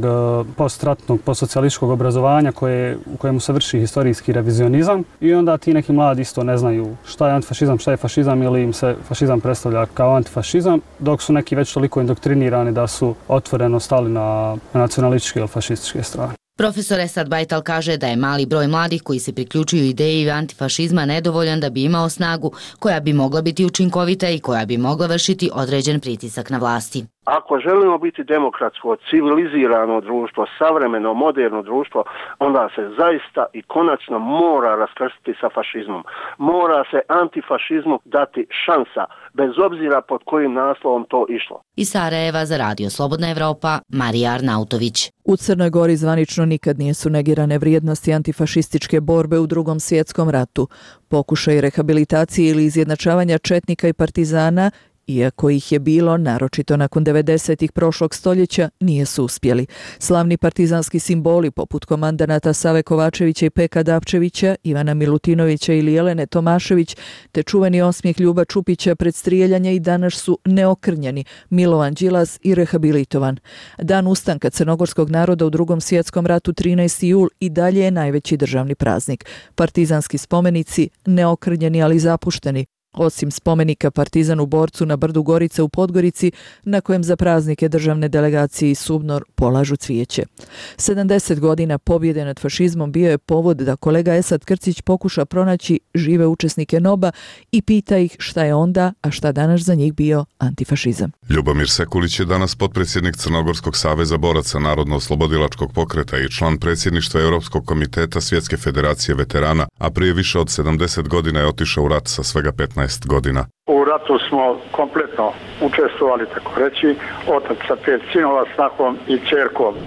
postratnog, postsocijalističkog obrazovanja koje, u kojemu se vrši historijski revizionizam. I onda ti neki mladi isto ne znaju šta je antifašizam, šta je fašizam ili im se fašizam predstavlja kao antifašizam, dok su neki već toliko indoktrinirani da su otvoreno stali na nacionalističke ili fašističke strane. Profesor Esad Bajtal kaže da je mali broj mladih koji se priključuju ideji antifašizma nedovoljan da bi imao snagu koja bi mogla biti učinkovita i koja bi mogla vršiti određen pritisak na vlasti. Ako želimo biti demokratsko, civilizirano društvo, savremeno, moderno društvo, onda se zaista i konačno mora raskrstiti sa fašizmom. Mora se antifašizmu dati šansa, bez obzira pod kojim naslovom to išlo. Iz Sarajeva za Radio Slobodna Evropa, Marija Arnautović. U Crnoj Gori zvanično nikad nisu negirane vrijednosti antifašističke borbe u Drugom svjetskom ratu. Pokušaj rehabilitacije ili izjednačavanja četnika i partizana, iako ih je bilo, naročito nakon devedesetih prošlog stoljeća, nije su uspjeli. Slavni partizanski simboli poput komandanata Save Kovačevića i Peka Dapčevića, Ivana Milutinovića ili Jelene Tomašević, te čuveni osmijeh Ljuba Čupića pred strijeljanje i danas su neokrnjeni, Milovan Đilas i rehabilitovan. Dan ustanka crnogorskog naroda u Drugom svjetskom ratu trinaesti jul i dalje je najveći državni praznik. Partizanski spomenici neokrnjeni ali zapušteni, osim spomenika partizanu borcu na brdu Gorice u Podgorici, na kojem za praznike državne delegacije i Subnor polažu cvijeće. sedamdeset godina pobjede nad fašizmom bio je povod da kolega Esad Krcić pokuša pronaći žive učesnike NOB-a i pita ih šta je onda, a šta danas za njih bio antifašizam. Ljubomir Sekulić je danas potpredsjednik Crnogorskog saveza boraca Narodno-oslobodilačkog pokreta i član predsjedništva Europskog komiteta Svjetske federacije veterana, a prije više od sedamdeset godina je otišao u rat sa svega petnaest godina. U ratu smo kompletno učestvovali, tako reći, otac sa pet sinova, snahom i ćerkom. E,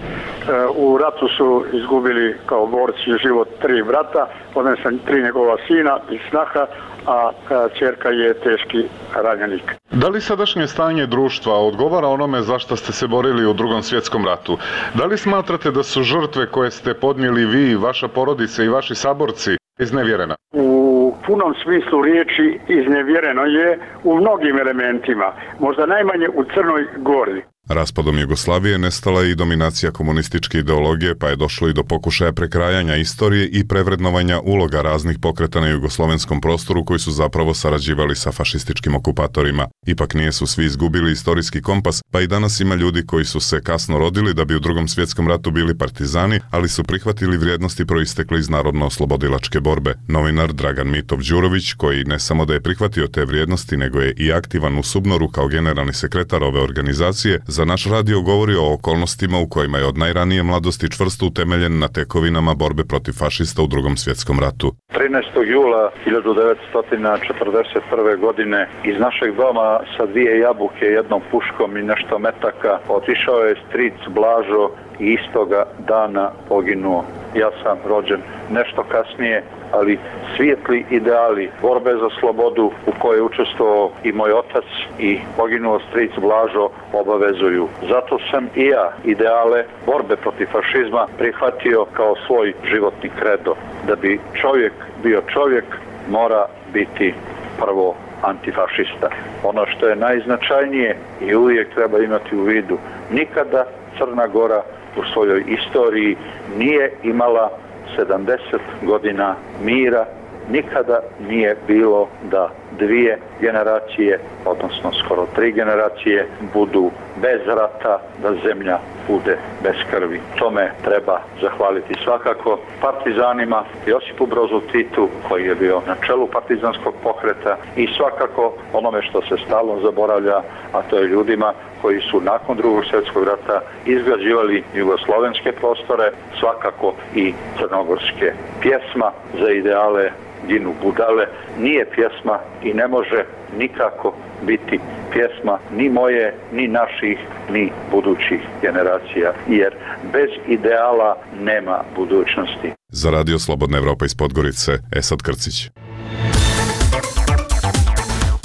u ratu su izgubili kao borci život tri brata, odnosno tri njegova sina i snaha, a ćerka je teški ranjenik. Da li sadašnje stanje društva odgovara onome za što ste se borili u Drugom svjetskom ratu? Da li smatrate da su žrtve koje ste podnijeli vi, vaša porodica i vaši saborci iznevjerena? U punom smislu riječi iznevjereno je u mnogim elementima, možda najmanje u Crnoj Gori. Raspadom Jugoslavije nestala je i dominacija komunističke ideologije, pa je došlo i do pokušaja prekrajanja istorije i prevrednovanja uloga raznih pokreta na jugoslovenskom prostoru koji su zapravo sarađivali sa fašističkim okupatorima. Ipak nije su svi izgubili istorijski kompas, pa i danas ima ljudi koji su se kasno rodili da bi u Drugom svjetskom ratu bili partizani, ali su prihvatili vrijednosti proistekle iz narodno-oslobodilačke borbe. Novinar Dragan Mitov Đurović, koji ne samo da je prihvatio te vrijednosti, nego je i aktivan u Subnoru kao generalni sekretar ove organizacije, za naš radio govori o okolnostima u kojima je od najranije mladosti čvrsto utemeljen na tekovinama borbe protiv fašista u Drugom svjetskom ratu. trinaestog jula hiljadu devetsto četrdeset prve. godine iz našeg doma sa dvije jabuke, jednom puškom i nešto metaka otišao je stric Blažo i istoga dana poginuo. Ja sam rođen nešto kasnije, ali svijetli ideali borbe za slobodu u kojoj je učestvovao i moj otac i poginuo stric Blažo obavezuju. Zato sam i ja ideale borbe protiv fašizma prihvatio kao svoj životni kredo. Da bi čovjek bio čovjek, mora biti prvo antifašista. Ono što je najznačajnije i uvijek treba imati u vidu, nikada Crna Gora u svojoj istoriji nije imala sedamdeset godina mira, nikada nije bilo da dvije generacije, odnosno skoro tri generacije, budu bez rata, da zemlja bude bez krvi. Tome treba zahvaliti svakako partizanima, Josipu Brozu Titu, koji je bio na čelu partizanskog pokreta, i svakako onome što se stalno zaboravlja, a to je ljudima koji su nakon Drugog svjetskog rata izgrađivali jugoslovenske prostore, svakako i crnogorske. Pjesma za ideale ginu budale nije pjesma i ne može nikako biti pjesma ni moje, ni naših, ni budućih generacija, jer bez ideala nema budućnosti. Za Radio Slobodna Evropa iz Podgorice, Esad Krcić.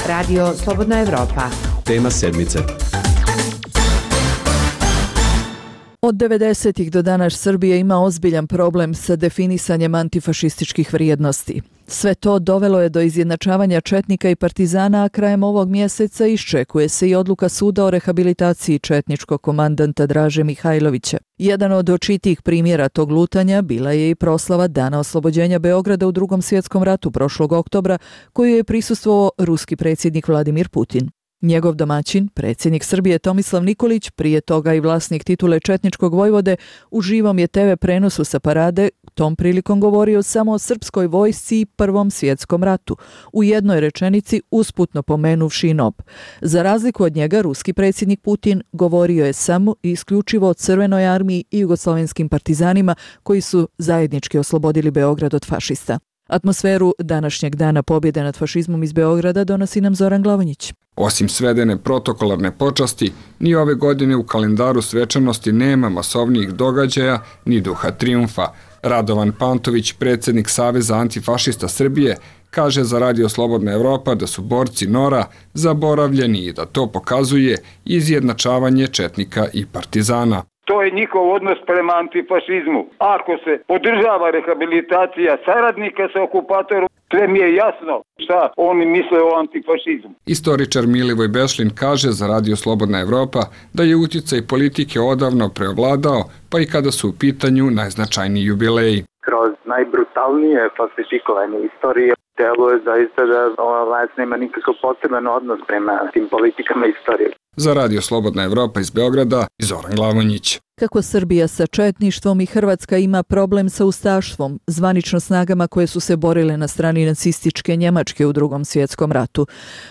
Radio Slobodna Evropa. Tema sedmice. Od devedesetih do danas Srbija ima ozbiljan problem sa definisanjem antifašističkih vrijednosti. Sve to dovelo je do izjednačavanja četnika i partizana, a krajem ovog mjeseca iščekuje se i odluka suda o rehabilitaciji četničkog komandanta Draže Mihajlovića. Jedan od očitijih primjera tog lutanja bila je i proslava Dana oslobođenja Beograda u Drugom svjetskom ratu prošlog oktobra, koju je prisustvovao ruski predsjednik Vladimir Putin. Njegov domaćin, predsjednik Srbije Tomislav Nikolić, prije toga i vlasnik titule četničkog vojvode, u živom je te ve prenosu sa parade tom prilikom govorio samo o srpskoj vojsci i Prvom svjetskom ratu, u jednoj rečenici usputno pomenuvši N O B. Za razliku od njega, ruski predsjednik Putin govorio je samo i isključivo o Crvenoj armiji i jugoslovenskim partizanima koji su zajednički oslobodili Beograd od fašista. Atmosferu današnjeg dana pobjede nad fašizmom iz Beograda donosi nam Zoran Glavonjić. Osim svedene protokolarne počasti, ni ove godine u kalendaru svečanosti nema masovnijih događaja ni duha trijumfa. Radovan Pantović, predsjednik Saveza antifašista Srbije, kaže za Radio Slobodna Evropa da su borci Nora zaboravljeni i da to pokazuje izjednačavanje četnika i partizana. To je njihov odnos prema antifašizmu. Ako se podržava rehabilitacija saradnika sa okupatorom, sve mi je jasno šta oni misle o antifašizmu. Istoričar Milivoj Bešlin kaže za Radio Slobodna Evropa da je utjecaj politike odavno preovladao, pa i kada su u pitanju najznačajniji jubileji. Kroz najbrutalnije falsifikovanje istorije deluje zaista da ova vlast nema nikakav poseban odnos prema tim politikama istorije. Za Radio Slobodna Evropa iz Beograda, Zoran Glavonjić. Kako Srbija sa četništvom i Hrvatska ima problem sa ustaštvom, zvanično snagama koje su se borile na strani nacističke Njemačke u Drugom svjetskom ratu.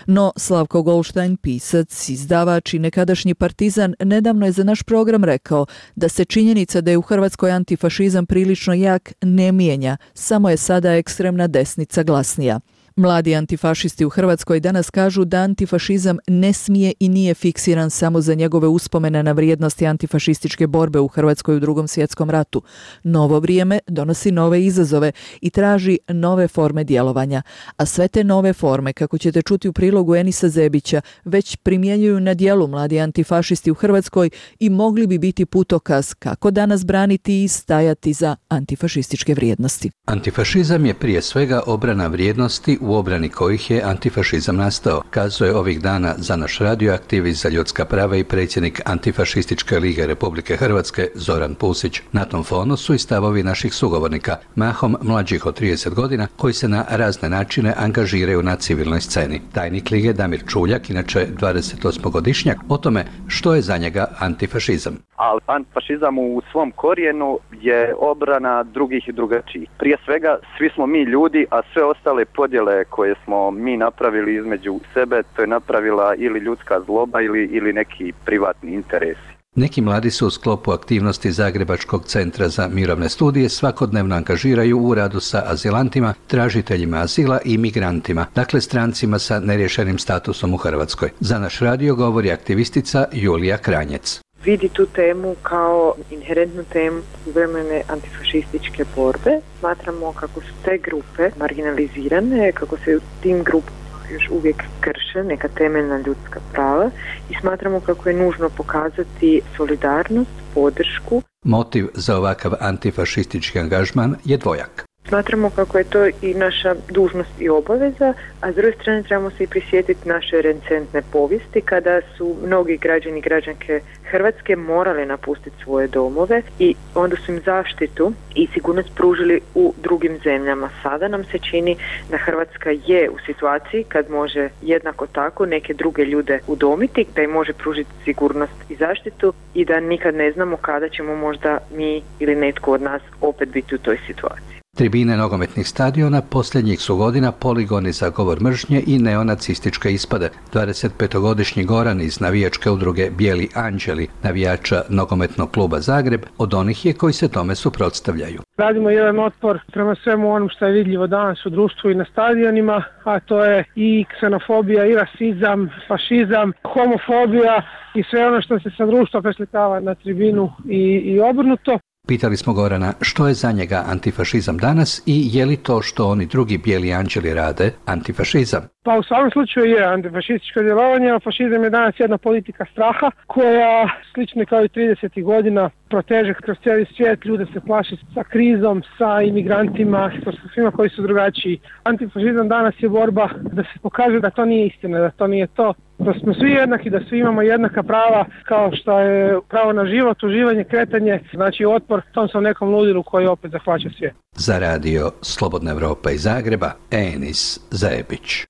No, Slavko Goldstein, pisac, izdavač i nekadašnji partizan, nedavno je za naš program rekao da se činjenica da je u Hrvatskoj antifašizam prilično jak ne mijenja, samo je sada ekstremna desnica glasnija. Mladi antifašisti u Hrvatskoj danas kažu da antifašizam ne smije i nije fiksiran samo za njegove uspomene na vrijednosti antifašističke borbe u Hrvatskoj u Drugom svjetskom ratu. Novo vrijeme donosi nove izazove i traži nove forme djelovanja. A sve te nove forme, kako ćete čuti u prilogu Enisa Zebića, već primjenjuju na djelu mladi antifašisti u Hrvatskoj i mogli bi biti putokaz kako danas braniti i stajati za antifašističke vrijednosti. Antifašizam je prije svega obrana vrijednosti u obrani kojih je antifašizam nastao, kazuje ovih dana za naš radio aktivist za ljudska prava i predsjednik Antifašističke lige Republike Hrvatske Zoran Pusić. Na tom fonu su i stavovi naših sugovornika, mahom mlađih od trideset godina, koji se na razne načine angažiraju na civilnoj sceni. Tajnik lige Damir Čuljak, inače dvadesetosmogodišnjak, o tome što je za njega antifašizam. Ali antifašizam u svom korijenu je obrana drugih i drugačijih. Prije svega, svi smo mi ljudi, a sve ostale podjele koje smo mi napravili između sebe, to je napravila ili ljudska zloba ili, ili neki privatni interesi. Neki mladi su u sklopu aktivnosti Zagrebačkog centra za mirovne studije svakodnevno angažiraju u radu sa azilantima, tražiteljima azila i migrantima, dakle strancima sa neriješenim statusom u Hrvatskoj. Za naš radio govori aktivistica Julija Kranjec. Vidi tu temu kao inherentnu temu suvremene antifašističke borbe. Smatramo kako su te grupe marginalizirane, kako se u tim grupama još uvijek krše neka temeljna ljudska prava i smatramo kako je nužno pokazati solidarnost, podršku. Motiv za ovakav antifašistički angažman je dvojak. Smatramo kako je to i naša dužnost i obaveza, a s druge strane trebamo se i prisjetiti naše recentne povijesti kada su mnogi građani i građanke Hrvatske morali napustiti svoje domove i onda su im zaštitu i sigurnost pružili u drugim zemljama. Sada nam se čini da Hrvatska je u situaciji kad može jednako tako neke druge ljude udomiti, da im može pružiti sigurnost i zaštitu i da nikad ne znamo kada ćemo možda mi ili netko od nas opet biti u toj situaciji. Tribine nogometnih stadiona posljednjih su godina poligoni za govor mržnje i neonacističke ispade. dvadesetpetogodišnji Goran iz navijačke udruge Bijeli anđeli, navijača nogometnog kluba Zagreb, od onih je koji se tome suprotstavljaju. Radimo jedan otpor prema svemu onom što je vidljivo danas u društvu i na stadionima, a to je i ksenofobija, i rasizam, fašizam, homofobija i sve ono što se sa društva preslikava na tribinu i, i obrnuto. Pitali smo Gorana što je za njega antifašizam danas i je li to što oni drugi bijeli anđeli rade antifašizam. Pa u svakom slučaju je antifašističko djelovanje, a fašizam je danas jedna politika straha koja, slično kao i tridesetih godina, proteže kroz cijeli svijet, ljude se plaši sa krizom, sa imigrantima, sa svima koji su drugačiji. Antifašizam danas je borba da se pokaže da to nije istina, da to nije to, da smo svi jednaki, da svi imamo jednaka prava kao što je pravo na život, uživanje, kretanje, znači otpor tom sam nekom ludilu koji opet zahvaća svijet. Za radio Slobodna Evropa iz Zagreba, Enis Zajebić.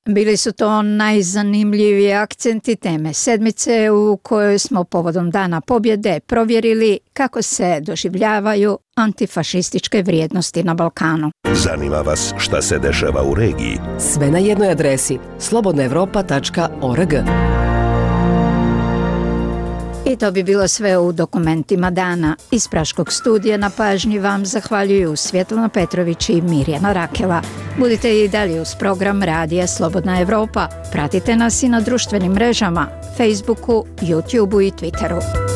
Bili su to najzanimljiviji akcenti teme sedmice u kojoj smo povodom Dana pobjede provjerili kako se doživljavaju antifašističke vrijednosti na Balkanu. Zanima vas šta se dešava u regiji? Sve na jednoj adresi slobodna evropa tačka org. I to bi bilo sve u dokumentima dana. Iz Praškog studija na pažnji vam zahvaljuju Svjetlana Petrović i Mirjana Rakela. Budite i dalje uz program Radija Slobodna Evropa. Pratite nas i na društvenim mrežama, Facebooku, YouTubeu i Twitteru.